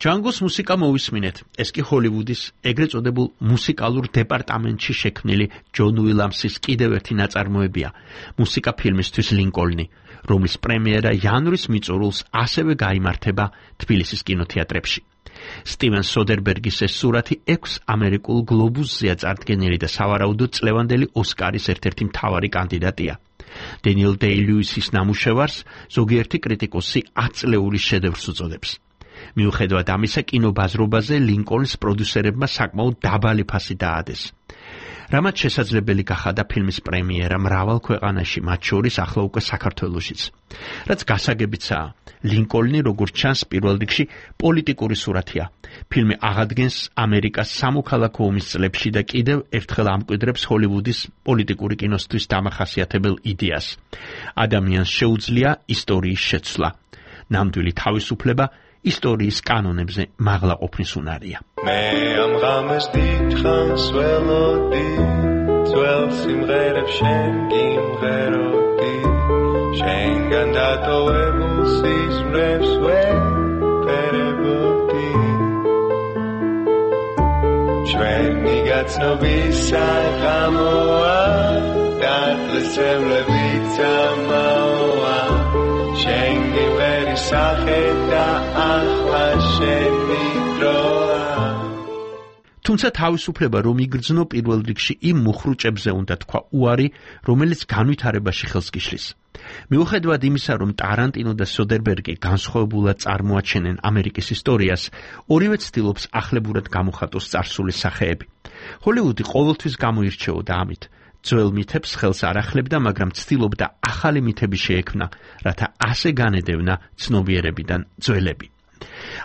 ჯანგოს მუსიკა მოვისმინეთ. ეს კი ჰოლივუდის ეგრეთ წოდებულ მუსიკალურ დეპარტამენტში შექმნილი ჯონ უილამსის კიდევ ერთი ნაწარმოებია, მუსიკა ფილმისთვის ლინკოლნი, რომლის პრემიერა იანვრის მიწურულს ასევე გაიმართება თბილისის კინოთეატრებში. სტივენ სოდერბერგის ეს სურათი 6 ამერიკულ გლობუსზეა წარდგენილი და სავარაუდოდ წლევანდელი ოსკარის ერთ-ერთი მთავარი კანდიდატია. დენიელ დეი-ლუისის ნამუშევარს ზოგიერთი კრიტიკოსი 10 წლეულის შედევრს უწოდებს. მიუხედავად ამისა, კინობაზრობაზე ლინკოლნის პროდიუსერებმა საკმაოდ დაბალი ფასი დაადეს. რამაც შესაძლებელი გახადა ფილმის პრემიერა მრავალ ქვეყანაში, მათ შორის ახლა უკვე საქართველოშიც. რაც გასაგებიცაა, ლინკოლნი, როგორც ჩანს, პირველ რიგში პოლიტიკური სურათია. ფილმი აღადგენს ამერიკას სამოქალაქო ომის წლებში და კიდევ ერთხელ ამკვიდრებს ჰოლივუდის პოლიტიკური კინოსთვის დამახასიათებელ იდეას. ადამიანს შეუძლია ისტორიის შეცვლა. ნამდვილი თავისუფლება ისტორიის კანონებზე მაღლა ყოფნის უნარია. მე ამ ღამეს დიდხანს ველოდი, ძველ სიმღერებს შენ გიმღეროდი, შენგან დატოვებულ სიზმრებს ვეფერებოდი. ჩვენი გაცნობის საღამოა, დაწესებლებიც ამაოა, შენ გიმღერი სახე და ახლა შენი დროა. თუმცა თავისუფლება რომ იგრძნო პირველ რიგში იმ მუხრუჭებზე უნდა თქვა უარი, რომელიც განვითარებაში ხელს გიშლის. მიუხედავად იმისა, რომ ტარანტინო და სოდერბერგი განსხვავებულად წარმოაჩენენ ამერიკის ისტორიას, ორივე ცდილობს ახლებურად გამოხატოს წარსული სახეები. ჰოლივუდი ყოველთვის გამოირჩეოდა ამით. ძველ მითებს ხელს არ ახლებდა, მაგრამ ცდილობდა ახალი მითების შეექმნა, რათა ასე განედევნა ცნობიერებიდან ძველები.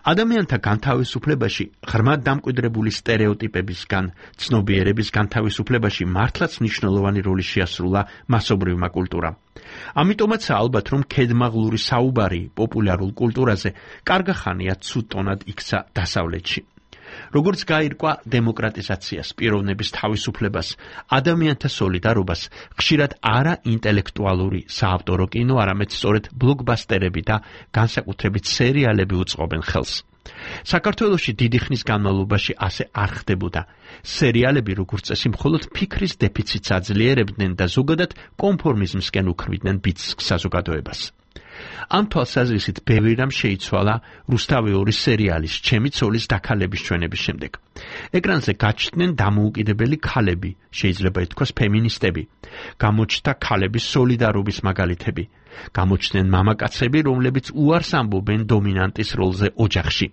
ადამიანთა განთავისუფლებაში, ღრმად დამკვიდრებული სტერეოტიპებისგან, ცნობიერების განთავისუფლებაში მართლაც მნიშვნელოვანი როლი შეასრულა მასობრივმა კულტურამ. ამიტომაც ალბათ რომ ქედმაღლური საუბარი პოპულარულ კულტურაზე კარგა ხანია ცუდ ტონად იქცა დასავლეთში. როგორც გაირკვა დემოკრატიზაციას, პიროვნების თავისუფლებას, ადამიანთა სოლიდარობას, ხშირად არა ინტელექტუალური საავტორო კინო, არამედ სწორედ ბლოკბასტერები და განსაკუთრებით სერიალები უწყობენ ხელს. საქართველოში დიდი ხნის განმავლობაში ასე არ ხდებოდა. სერიალები როგორც წესი მხოლოდ ფიქრის დეფიციტს აძლიერებდნენ და ზოგადად კონფორმიზმსკენ უქმნიდნენ ბიძგ საზოგადოებას. ამ თვალსაზრისით ბევრი რამ შეიცვალა რუსთავი 2 სერიალის ჩემი ცოლის დაქალების ჩვენების შემდეგ. ეკრანზე გაჩნდნენ დამოუკიდებელი ქალები, შეიძლება ითქვას ფემინისტები, გამოჩნდა ქალების სოლიდარობის მაგალითები, გამოჩნდნენ მამაკაცები, რომლებიც უარს ამბობენ დომინანტის როლზე ოჯახში.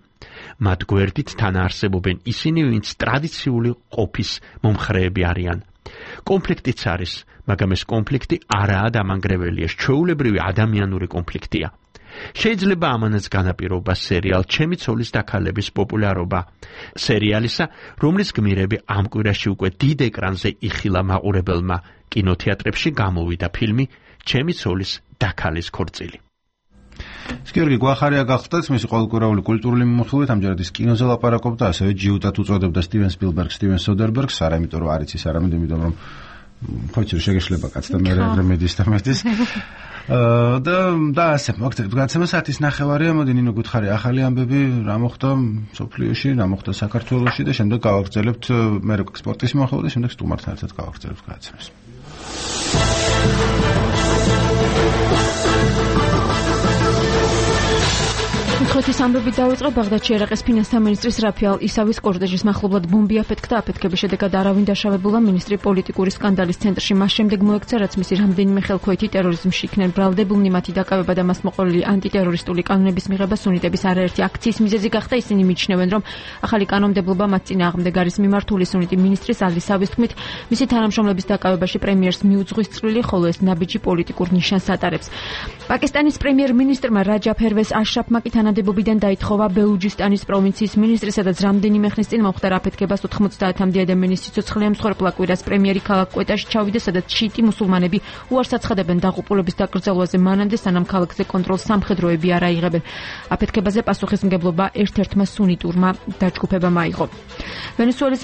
მათ გვერდით თან არსებობენ ისინი, ვინც ტრადიციული ყოფის მომხრეები არიან. კონფლიქტიც არის, მაგრამ ეს კონფლიქტი არაა დამანგრეველია, ჩვეულებრივი ადამიანური კონფლიქტია. შეიძლება ამანაც განაპირობა სერიალ ჩემი ცოლის დაქალების პოპულარობა. სერიალისა, რომლის გმირები ამ კვირაში უკვე დიდ ეკრანზე იხილა მაყურებელმა, კინოთეატრებში გამოვიდა ფილმი ჩემი ცოლის დაქალის ქორწილი. გიორგი გვახარია გახდათ მისი ყოველკვირეული კულტურული მიმოხილვით, ამჯერად ის კინოზე ლაპარაკობდა, ასევე ჯიუტად უწოდებდა სტივენ სპილბერგს, სტივენ სოდერბერგს, არა იმიტომ რომ არ იცის, არამედ იმიტომ რომ ხოჭი შეგეშლება კაც და მე მედის და მედის. და ასე მოგწევთ გაცემა საათის ნახევარია, მოდი ნინო გითხარი ახალი ამბები, რა მოხდა სოფლიოში, რა მოხდა საქართველოში და შემდეგ გავაგრძელებთ მე სპორტის მიმოხილვა და შემდეგ სტუმართან ერთად გავაგრძელებთ გაცემას. ხოთის ამბები დაიწყო ბაღდადში ერაყის ფინანსთა მინისტრის რაფიალ ისავის კორტეჟის მახლობლად ბომბი αφეთქდა. აფეთქების შედეგად არავინ დაშავებულა. მინისტრი პოლიტიკური სკანდალის ცენტრში მას შემდეგ მოექცა, რაც მისი რამდენიმე ხელქვეითი ტერორიზმში იქნენ ბრალდებულნი. მათი დაკავება და მას მოყოლილი ანტიტერორისტული კანონების მიღება სუნიტების არაერთი აქციის მიზეზი გახდა. ისინი მიიჩნევენ, რომ ახალი კანონმდებლობა მათ წინააღმდეგ არის მიმართული. სუნიტი მინისტრის ალისავის თქმით, მისი თანამშრომლების დაკავებაში პრემიერს მიუძღვის წვლილი, ხოლო ეს ნაბიჯი პოლიტიკურ ნიშანს ატარებს. პაკისტანის პრემიერ-მინისტრმა რაჯა ფერვეს აშრაფმა კი თანამდებობიდან დაითხოვა. ბელუჯისტანის პროვინციის მინისტრი, სადაც რამდენიმე ხნის წინ მომხდარ აფეთქებას 90-მდე ადამიანის სიცოცხლე ემსხვერპლა. კვირას პრემიერი ქალაქ კვეტაში ჩავიდა, სადაც შიიტი მუსულმანები უარს აცხადებენ დაღუპულების დაკრძალვაზე, მანამდე სანამ ქალაქზე კონტროლს სამხედროები არ აიღებენ. აფეთქებაზე პასუხისმგებლობა ერთ-ერთმა სუნიტურმა დაჯგუფებამ აიღო. ვენესუელის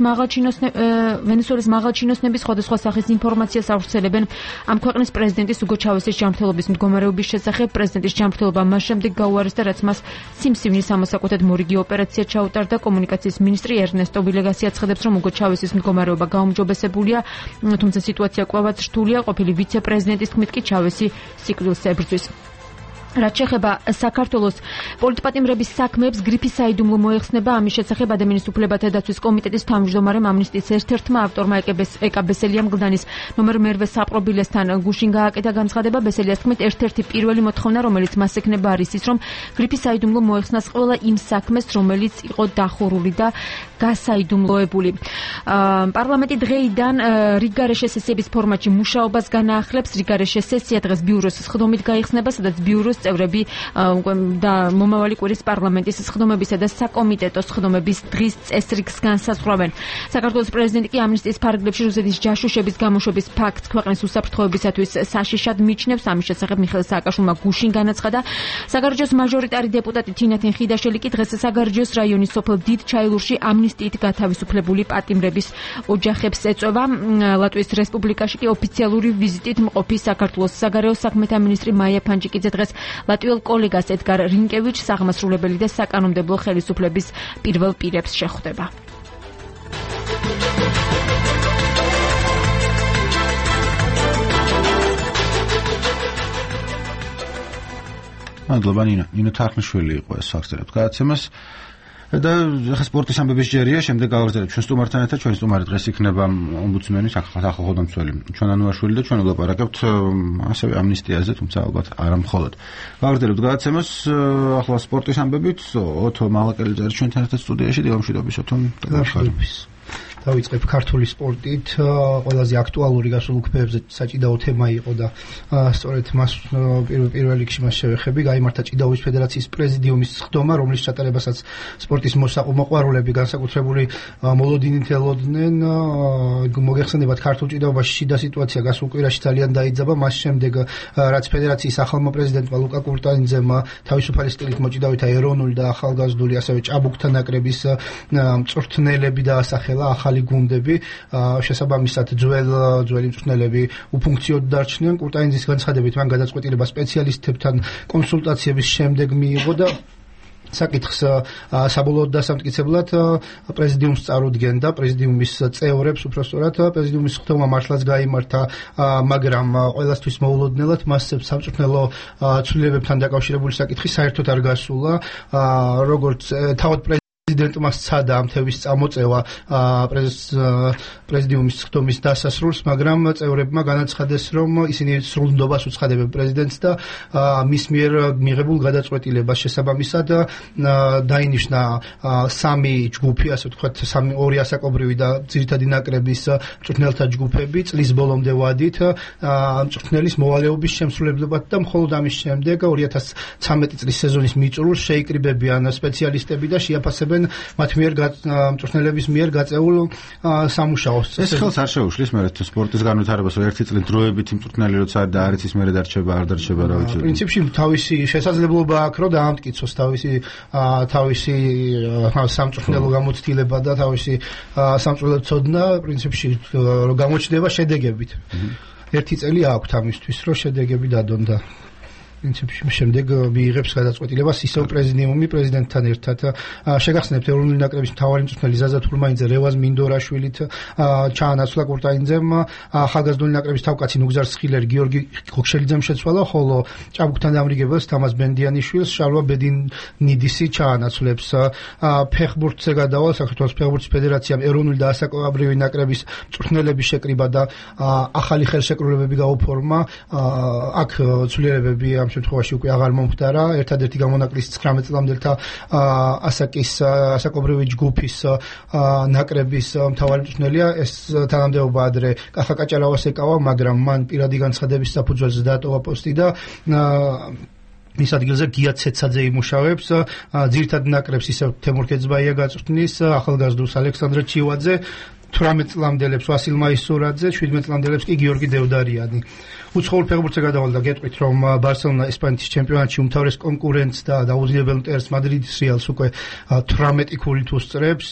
მაღალჩინოსნები სხვადასხვა სახის ინფორმაციას ავრცელებენ ამ ქვეყნის პრეზიდენტის უგო ჩავესის ჯანმრთელობის მდგომარეობის შესახებ. პრეზიდენტის ჯანმრთელობა მას შემდეგ გაუარესდა, რაც მას სიმსივნის სამოსაკვეთად მორიგი ოპერაცია ჩაუტარდა. კომუნიკაციის მინისტრი ერნესტო ვილეგასი აცხადებს, რომ უგო ჩავესის მდგომარეობა გაუმჯობესებულია, თუმცა სიტუაცია კვლავაც რთულია. ყოფილი ვიცე-პრეზიდენტის თქმით კი ჩავესი სიკვდილს ებრძვის. რაც შეეხება საქართველოს პოლიტპატიმრების საქმეებს, გრიფის საიდუმლო მოეხსნება. ამის შესახებ ადამიანის უფლებათა დაცვის კომიტეტის თავმჯდომარემ ამნისტიის ერთ-ერთმა ავტორმა ეკა ბესელიამ გლდანის ნომერ მერვე საპრობილესთან გუშინ გააკეთა განცხადება. ბესელიას თქმით, ერთ-ერთი პირველი მოთხოვნა, რომელიც მას ექნება, არის ის, რომ გრიფის საიდუმლო მოეხსნას ყველა იმ საქმეს, რომელიც იყო დახურული და გასაიდუმლოებული. პარლამენტი დღეიდან რიგარეშე სესიების ფორმატში მუშაობას განაახლებს. რიგარეშე სესია დღეს ბიუროს სხდომით გაიხსნება, სადაც ბიუროს წევრები და მომავალი კვირის პარლამენტის სხდომებისა და საკომიტეტო სხდომების დღის წესრიგს განსაზღვრავენ. საქართველოს პრეზიდენტი კი ამნისტიის ფარგლებში რუსეთის ჯაშუშების გამოშვების ფაქტს ქვეყნის უსაფრთხოებისათვის საშიშად მიჩნევს. ამის შესახებ მიხეილ სააკაშვილმა გუშინ განაცხადა. საგარეჯოს მაჟორიტარი დეპუტატი თინათინ ხიდაშელი კი დღეს საგარეჯოს რაიონის სოფელ დიდ ჩაილურში ამნისტიით გათავისუფლებული პატიმრების ოჯახებს ეწევა. ლატვიის რესპუბლიკაში კი ოფიციალური ვიზიტით მყოფი საქართველოს საგარეო საქმეთა მინისტრი მაია ფანჯიკიძე დღეს ლატვიელ კოლეგას ედგარ რინკევიჩს აღმასრულებელი და საკანონმდებლო ხელისუფლების პირველ პირებს შეხვდება. მადლობა ნინო თარხნიშვილი იყო ეს საქსერებთ გადაცემას. და ახლა სპორტის ამბების ჯერია, შემდეგ გავაგრძელებთ ჩვენ სტუმართან ერთად. ჩვენი სტუმარი დღეს იქნება ომბუდსმენი, სახელმწიფო ჩვენ ანუაშვილი და ჩვენ ვლაპარაკებთ ასევე ამნისტიაზე, თუმცა ალბათ არა მხოლოდ. გავაგრძელებთ გადაცემას ახლა სპორტის ამბებით. ოთო მალაკელიძე არის ჩვენთან ერთად სტუდიაში. დილამშვიდობის ოთო. დავიწყებ ქართული სპორტით. ყველაზე აქტუალური გასულ უქმეებზე საჭიდაო თემა იყო და სწორედ მას პირველ რიგში მას შევეხები. გაიმართა ჭიდაობის ფედერაციის პრეზიდიუმის სხდომა, რომლის ჩატარებასაც სპორტის მოსაყმოყვარულები განსაკუთრებული მოლოდინით ელოდნენ. მოგეხსენებათ, ქართულ ჭიდაობაში შიდა სიტუაცია გასულ კვირაში ძალიან დაიძაბა. მას შემდეგ რაც ფედერაციის ახალმა პრეზიდენტმა ლუკა კურტანიძემ თავისუფალი სტილით მოჭიდავეთა ეროვნული და ახალგაზრდული ასევე ჭაბუკთა ნაკრების მწვრთნელები დაასახელა, ახალი გუნდები, შესაბამისად ძველი მწვრთნელები უფუნქციოდ დარჩნენ. კურტანიძის განცხადებით მან გადაწყვეტილება სპეციალისტებთან კონსულტაციების შემდეგ მიიღო და საკითხს საბოლოოდ დასამტკიცებლად პრეზიდიუმს წარუდგენდა, პრეზიდიუმის წევრებს, უпростоრად პრეზიდიუმის სხდომა მართლაც გაიმართა, მაგრამ ყველასთვის მოულოდნელად მასებს სამწვრთნელო ცვლილებებთან დაკავშირებული საკითხი საერთოდ არ გასულა, როგორც თავად პრეზიდენტმა სცადა ამ თევის წამოწევა პრეზიდიუმის სხდომის დასასრულს, მაგრამ წევრებმა განაცხადეს, რომ ისინი სრულ ნდობას უცხადებენ პრეზიდენტს და მის მიერ მიღებულ გადაწყვეტილებას შესაბამისად დაინიშნა სამი ჯგუფი, ასე ვთქვათ, ორი ასაკობრივი და ძირითადი ნაკრების მწვრთნელთა ჯგუფები წლის ბოლომდე ვადით მწვრთნელის მოვალეობის შემსრულებლად და მხოლოდ ამის შემდეგ 2013 წლის სეზონის მიწურულს შეიკრიბებიან სპეციალისტები და შეაფასებენ მათ მიერ მწვრთნელების მიერ გაწეულ სამუშაოს. ეს ხელს არ შეუშლის მე სპორტის განვითარებას, რომ ერთი წლით დროებითი მწვრთნელი როცა არ და არ იცის მე დარჩება, არ დარჩება რა ვიცი. პრინციპში თავისი შესაძლებლობა აქვს, რომ დაამტკიცოს თავისი სამწვრთნელო გამოცდილება და თავისი სამწვრთნელო ცოდნა, პრინციპში რომ გამოჩნდება შედეგებით. ერთი წელი აქვს ამისთვის, რომ შედეგები დადონ და პრინციპში შემდეგ მიიღებს გადაწყვეტილებას ისევ პრეზიდიუმი პრეზიდენტთან ერთად. შეგახსენებთ, ეროვნული ნაკრების მთავარი მწვრთნელი ზაზა თურმაინძე რევაზ მინდორაშვილით ჩაანაცვლა კურტანიძემ, ახალგაზრდული ნაკრების თავკაცი ნუგზარ სხილერ გიორგი ხოქშელიძემ შეცვალა, ხოლო ჭაბუკთან დამრიგებელს თამაზ ბენდიანიშვილს შალვა ბედინიდისი ჩაანაცვლებს. ფეხბურთზე გადავალ, საქართველოს ფეხბურთის ფედერაციამ ეროვნული და ასაკობრივი ნაკრების მწვრთნელების შეკრიბა და ახალი ხელშეკრულებები გაუფორმა. აქ ცვლილებები ამ შემთხვევაში უკვე აღარ მომხდარა. ერთადერთი გამონაკლისი 19 წლამდელთა ასაკობრივი ჯგუფის ნაკრების მთავარი მწვრთნელია. ეს თანამდებობა ადრე კახა კაჭარავას ეკავა, მაგრამ მან პირადი განცხადების საფუძველზე დაატოვა პოსტი და მის ადგილზე გია ცეცაძე იმუშავებს. ძირითად ნაკრებს ისევ თემურ კეცბაია გაწვრთნის, ახალგაზრდულს ალექსანდრე ჩივაძე, 18 წლამდელებს ვასილ მაისურაძე, 17 წლამდელებს კი გიორგი დევდარიანი. უცხოურ ფეხბურთზე გადავალ და გეტყვით, რომ ბარსელონა ესპანეთის ჩემპიონატში უმთავრეს კონკურენტს და დაუძინებელ მტერს მადრიდის რეალს უკვე 18 ქულით უსწრებს.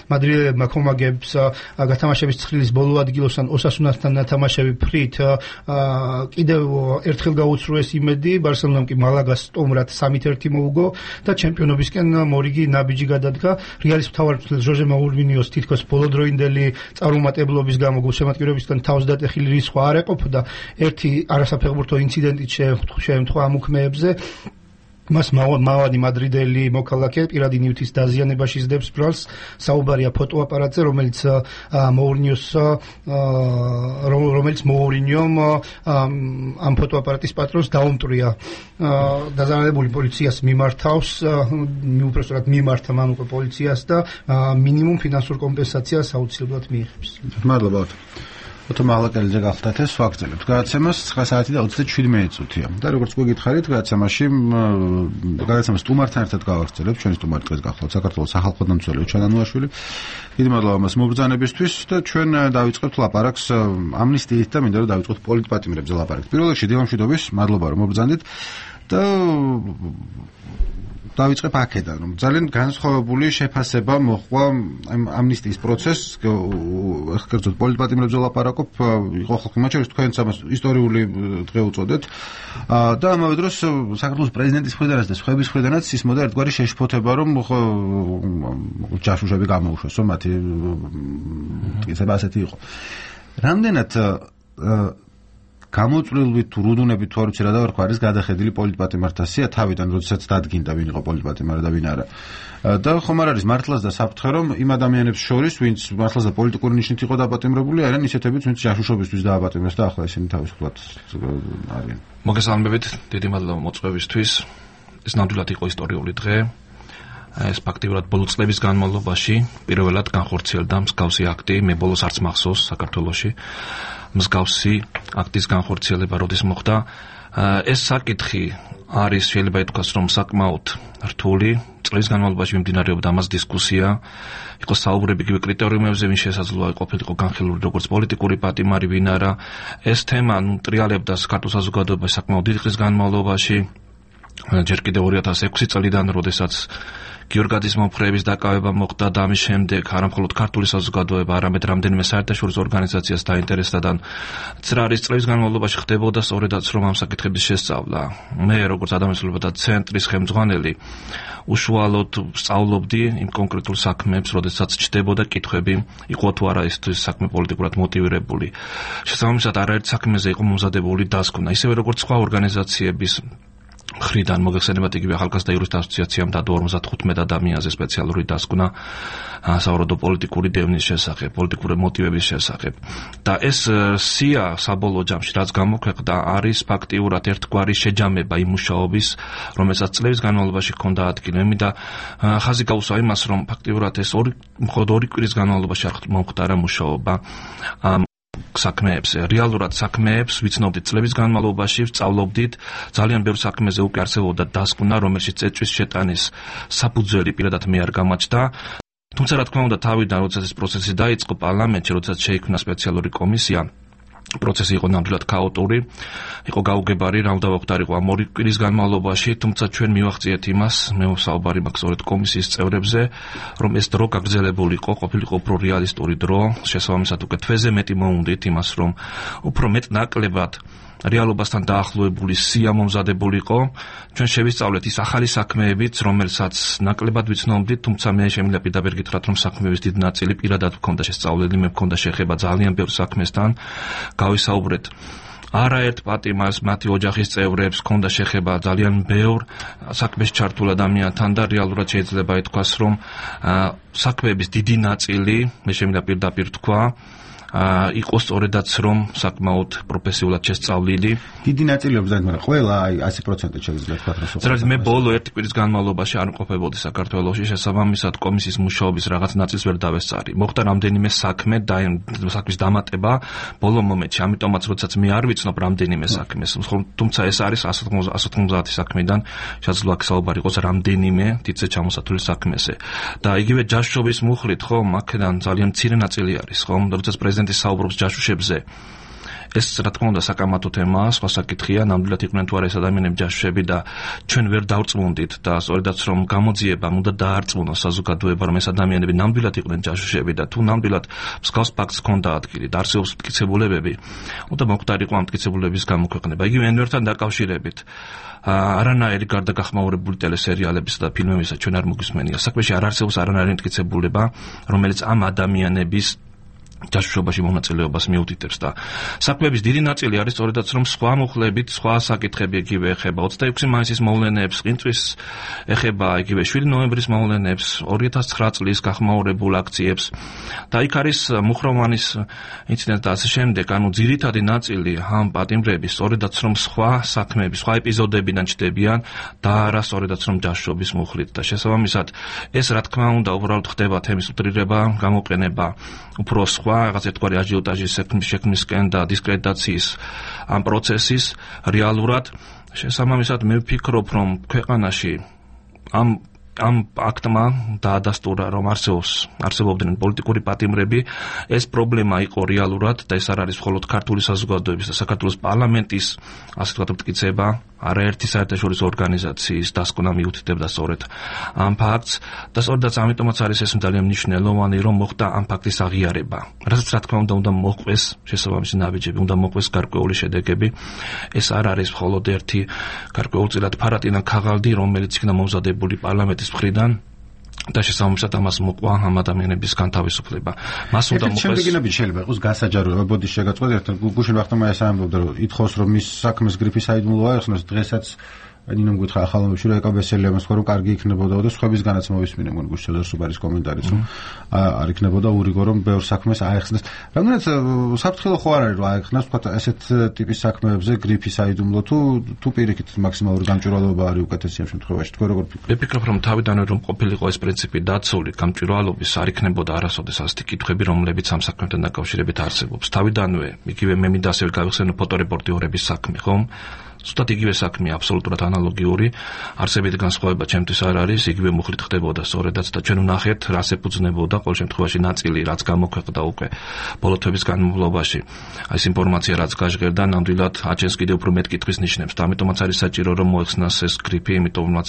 მადრიდელებმა ხომაგებს გათამაშების ცხრილის ბოლო ადგილოსთან ოსასუნასთან ნათამაშები ფრით კიდევ ერთხელ გაუცრუეს იმედი, ბარსელონამ კი მალაგას სტუმრად 3-1 მოუგო და ჩემპიონობისკენ მორიგი ნაბიჯი გადადგა. რეალის მთავარ მწვრთნელ ჟოჟე მაურინიოს თითქოს ბოლოდროინდელი წარუმატებლობის გამო გულშემატკივრებისგან თავს დატეხილი რისხვა არ ეყოფოდა. არასაფეხბურთო ინციდენტით შეემთხვა ამ უქმეებზე. მას მავადი მადრიდელი მოქალაქე პირადი ნივთის დაზიანებაში ზდებს ბრალს. საუბარია ფოტოაპარატზე, რომელიც მოურინიომ ამ ფოტოაპარატის პატრონს დაუმტრია. დაზიანებული პოლიციას მიმართავს, უпростоრად მიმართა მან უკვე პოლიციას და მინიმუმ ფინანსურ კომპენსაციას აუცილებლად მიიღებს. მადლობა. ოთო მაღლაკელიძე გახდათ ეს ვაგრძელებთ. გადაცემას 9 საათი და 27 წუთია. და როგორც გითხარით, გადაცემას სტუმართან ერთად გავაგრძელებთ. ჩვენი სტუმარი დღეს გახლავთ საქართველოს სახალხო დამცველი ჩანანუაშვილი. დიდი მადლობა მას მობრძანებისთვის და ჩვენ დავიწყებთ ლაპარაკს ამნისტიით და მინდა რომ დავიწყოთ პოლიტპატიმრებზე ლაპარაკს. პირველ რიგში დილამშვიდობის, მადლობა რომ მობრძანდით და დავიწყებ აქედან, რომ ძალიან განსხვავებული შეფასება მოხდა ამნისტიის პროცესს, კერძოდ პოლიტპატიმრებზე ლაპარაკობ, იყო ხალხი მათ შორის თქვენც ამას ისტორიული დღე უწოდეთ და ამავე დროს საქართველოს პრეზიდენტის მხრიდანაც და სხვების მხრიდანაც ისმოდა ერთგვარი შეშფოთება, რომ ჯაშუშები გამოუშვეს, რომ მათი მტკიცება ასეთი იყო. რამდენად გამოწვლილვით თუ რუდუნებით თუ არ ვიცი რა დავარქვა არის გადახედილი პოლიტპატიმართა სია თავიდან, როდესაც დადგინდა ვინ იყო პოლიტპატიმარი და ვინ არა. და ხომ არ არის მართლაც და საფრთხე, რომ იმ ადამიანებს შორის, ვინც მართლაც და პოლიტიკური ნიშნით იყო დაპატიმრებული, არიან ისეთებიც, ვინც ჯაშუშობისთვის დააპატიმრეს და ახლა ისინი თავისუფლად არიან. მოგესალმებით, დიდი მადლობა მოწვევისთვის. ეს ნამდვილად იყო ისტორიული დღე. ეს ფაქტიურად ბოლო წლების განმავლობაში პირველად განხორციელდა მსგავსი აქტი, მე ბოლოს არც მახსოვს საქართველოში მსგავსი აქტის განხორციელება როდის მოხდა. ეს საკითხი არის შეიძლება ითქვას, რომ საკმაოდ რთული, წლების განმავლობაში მიმდინარეობდა ამას დისკუსია, იყო საუბრები იგივე კრიტერიუმებზე, ვინ შესაძლოა ყოფილიყო განხილული როგორც პოლიტიკური პატიმარი, ვინ არა. ეს თემა ტრიალებდა საქართველოს საზოგადოებაში საკმაოდ დიდი ხნის განმავლობაში, ჯერ კიდევ 2006 წლიდან, როდესაც გიორგაძის მომხრეების დაკავება მოხდა და ამის შემდეგ არა მხოლოდ ქართული საზოგადოება, არამედ რამდენიმე საერთაშორისო ორგანიზაციას დაინტერესდა და წრარის წლების განმავლობაში ხდებოდა სწორედაც რომ ამ საკითხების შესწავლა. მე როგორც ადამიანის და ცენტრის ხელმძღვანელი უშუალოდ სწავლობდი იმ კონკრეტულ საქმეებს, როდესაც ჩდებოდა კითხვები, იყო თუ არა ეს საქმე პოლიტიკურად მოტივირებული. შესაბამისად, არაერთ საქმეზე იყო მომზადებული დასკვნა, ისევე როგორც სხვა ორგანიზაციების მხრიდან მოგეხსენებათ იგივე ახალგაზრდა იურისტთა ასოციაციამ დადო 55 ადამიანზე სპეციალური დასკვნა სავარაუდო პოლიტიკური დევნის შესახებ, პოლიტიკური მოტივების შესახებ. და ეს სია საბოლოო ჯამში რაც გამოქვეყნდა არის ფაქტიურად ერთგვარი შეჯამება იმ მუშაობის, რომელსაც წლების განმავლობაში ჰქონდა ადგილი. მე მინდა ხაზი გაუსვა იმას, რომ ფაქტიურად ეს მხოლოდ 2 კვირის განმავლობაში არ მომხდარა მუშაობა საქმეებს, რეალურად საქმეებს ვიცნობდით წლების განმავლობაში, სწავლობდით, ძალიან ბევრ საქმეზე უკვე არსებობდა დასკვნა, რომელშიც წეჭვის შეტანის საფუძველი პირადად მე არ გამაჩნდა. თუმცა რა თქმა უნდა, თავიდან როდესაც ეს პროცესი დაიწყო პარლამენტში, როდესაც შეიქმნა სპეციალური კომისია, პროცესი იყო ნამდვილად ქაოტური, იყო გაუგებარი, რა უნდა ვახდარიყო ამ 2 კვირის განმავლობაში, თუმცა ჩვენ მივახციეთ იმას, მე საუბარი მაქვს სწორედ კომისიის წევრებზე, რომ ეს დრო გაგრძელებულიყო, ყოფილიყო უფრო რეალისტური დრო, შესაბამისად უკვე თვეზე მეტი მოუნდით იმას, რომ უფრო მეტ ნაკლებად რეალობასთან დაახლოებული სია მომზადებულიყო. ჩვენ შევისწავლეთ ის ახალი საქმეებიც, რომელსაც ნაკლებად ვიცნობდით, თუმცა მე შემიძლია პირდაპირ გითხრათ, რომ საქმეების დიდი ნაწილი პირადად მქონდა შესწავლილი, მე მქონდა შეხება ძალიან ბევრ საქმესთან. გავისაუბრეთ არაერთ პატიმარს, მათი ოჯახის წევრებს, ჰქონდა შეხება ძალიან ბევრ საქმეში ჩართულ ადამიანთან და რეალურად შეიძლება ითქვას, რომ საქმეების დიდი ნაწილი, მე შემიძლია პირდაპირ თქვა, იყო სწორედაც რომ საკმაოდ პროფესიულად შესწავლილი. დიდი ნაწილი უბრძანეთ, მაგრამ ყველა 100% შეიძლება თქვა, რომ სწორედ მე ბოლო 1 კვირის განმავლობაში არ მყოფებოდი საქართველოში, შესაბამისად კომისიის მუშაობის რაღაც ნაწილს ვერ დავესწარი. მოხდა რამდენიმე საქმე და საქმის დამატება ბოლო მომენტში, ამიტომაც როდესაც მე არ ვიცნობ რამდენიმე საქმეს, თუმცა ეს არის 190 საქმიდან, შესაძლოა საუბარი იყოს რამდენიმე დიდზე ჩამოსათვლელ საქმეზე. და იგივე ჯაშუშობის მუხლით, ხო, აქედან ძალიან მცირე ნაწილი არის, ხო, როდესაც საუბრობს ჯაშუშებზე. ეს რა თქმა უნდა საკამათო თემაა, სხვა საკითხია, ნამდვილად იყვნენ თუ არა ეს ადამიანები ჯაშუშები და ჩვენ ვერ დავწმუნდით და სწორედაც რომ გამოძიებამ უნდა დაარწმუნოს საზოგადოება, რომ ეს ადამიანები ნამდვილად იყვნენ ჯაშუშები და თუ ნამდვილად მსგავს ფაქტს ჰქონდა ადგილი და არსებობს მტკიცებულებები, უნდა მოხდარიყო ამ მტკიცებულებების გამოქვეყნება. იგივე ენვერთან დაკავშირებით არანაირი გარდაგახმაურებული ტელესერიალებისა და ფილმებისა ჩვენ არ მოგვისმენია. საქმეში არ არსებობს არანაირი მტკიცებულება, რომელიც ამ ადამიანების ჯაშუშობაში მონაწილეობას მიუთითებს და საქმეების დიდი ნაწილი არის სწორედაც რომ სხვა მუხლებით, სხვა საკითხები იგივე ეხება 26 მაისის მოვლენებს, ყინწვის ეხება იგივე 7 ნოემბრის მოვლენებს, 2009 წლის გახმაურებულ აქციებს და იქ არის მუხროვანის ინციდენტი და ასე შემდეგ, ანუ ძირითადი ნაწილი ამ პატიმრების სწორედაც რომ სხვა საქმეები, სხვა ეპიზოდებიდან ჩდებიან და არა სწორედაც რომ ჯაშუშობის მუხლით და შესაბამისად ეს რა თქმა უნდა უბრალოდ ხდება თემის უტრირება, გამოყენება უფრო სხვა რაღაც ერთგვარი აჟიოტაჟის შექმნისკენ და დისკრედიტაციის ამ პროცესის რეალურად შესაბამისად მე ვფიქრობ რომ ქვეყანაში ამ აქტმა დაადასტურა რომ არსებობდნენ პოლიტიკური პატიმრები, ეს პრობლემა იყო რეალურად და ეს არ არის მხოლოდ ქართული საზოგადოების და საქართველოს პარლამენტის ასე ვთქვათ მტკიცება, არაერთი საერთაშორისო ორგანიზაციის დასკვნა მიუთითებდა სწორედ ამ ფაქტს და სწორედაც ამიტომაც არის ეს ძალიან მნიშვნელოვანი რომ მოხდა ამ ფაქტის აღიარება. რასაც რა თქმა უნდა მოყვეს შესაბამისი ნაბიჯები, უნდა მოყვეს გარკვეული შედეგები. ეს არ არის მხოლოდ ერთი გარკვეულწილად ფარატინა ქაღალდი, რომელიც იქნა მომზადებული პარლამენტის მხრიდან და შესაბამისად ამას მოყვა ამ ადამიანების განთავისუფლება. მას უნდა მოყვეს. შემდეგნები შეიძლება იყოს გასაჯაროება, ბოდის შეგაწყვეტ ერთად გუშინ ვახტმა ეს ამბობდა რომ ითხოვს რომ მის საქმეს გრიფი საიდუმლოა, ეხნოს დღესაც ნინომ გითხრა ახალომებში რომ ეკაბესელი ამას ხო რომ კარგი იქნებოდა და სხვებისგანაც მოვისმინე მგონი გუშინ სუპერის კომენტარიც რომ არ იქნებოდა ურიგო რომ ბევრ საქმეს აეხსნას. რამდენად საფრთხილო ხო არ არის რომ აეხსნას თქვა ესეთ ტიპის საქმეებზე გრიფის აიდუმლო თუ პირიქით მაქსიმალური გამჭვირვალობა არის უკეთესი ამ შემთხვევაში თქვენ როგორ ფიქრობთ? მე ფიქრობ რომ თავიდანვე რომ ყოფილიყო ეს პრინციპი დაცული გამჭვირვალობის არ იქნებოდა არასოდეს ასეთი კითხვები რომლებიც ამ საქმესთან დაკავშირებით არსებობს. თავიდანვე იგივე მე მინდა ასევე გავიხსენო ფოტორეპორტიორების საქმე ხომ? Სულად იგივე საქმე აბსოლუტურად ანალოგიური, არსებით განსხვავება ჩემთვის არ არის, იგივე მუხლით ხდებოდა სწორედაც და ჩვენ ვნახეთ, რას ეფუძნებოდა ყოველ შემთხვევაში ნაწილი, რაც გამოქვეყნდა უკვე ბოლო თვეების განმავლობაში. ეს ინფორმაცია რაც გაჟღერდა, ნამდვილად აჩენს კიდევ უფრო მეტ კითხვის ნიშნებს. და ამიტომაც არის საჭირო რომ მოეხსნას ეს გრიფი, იმიტომაც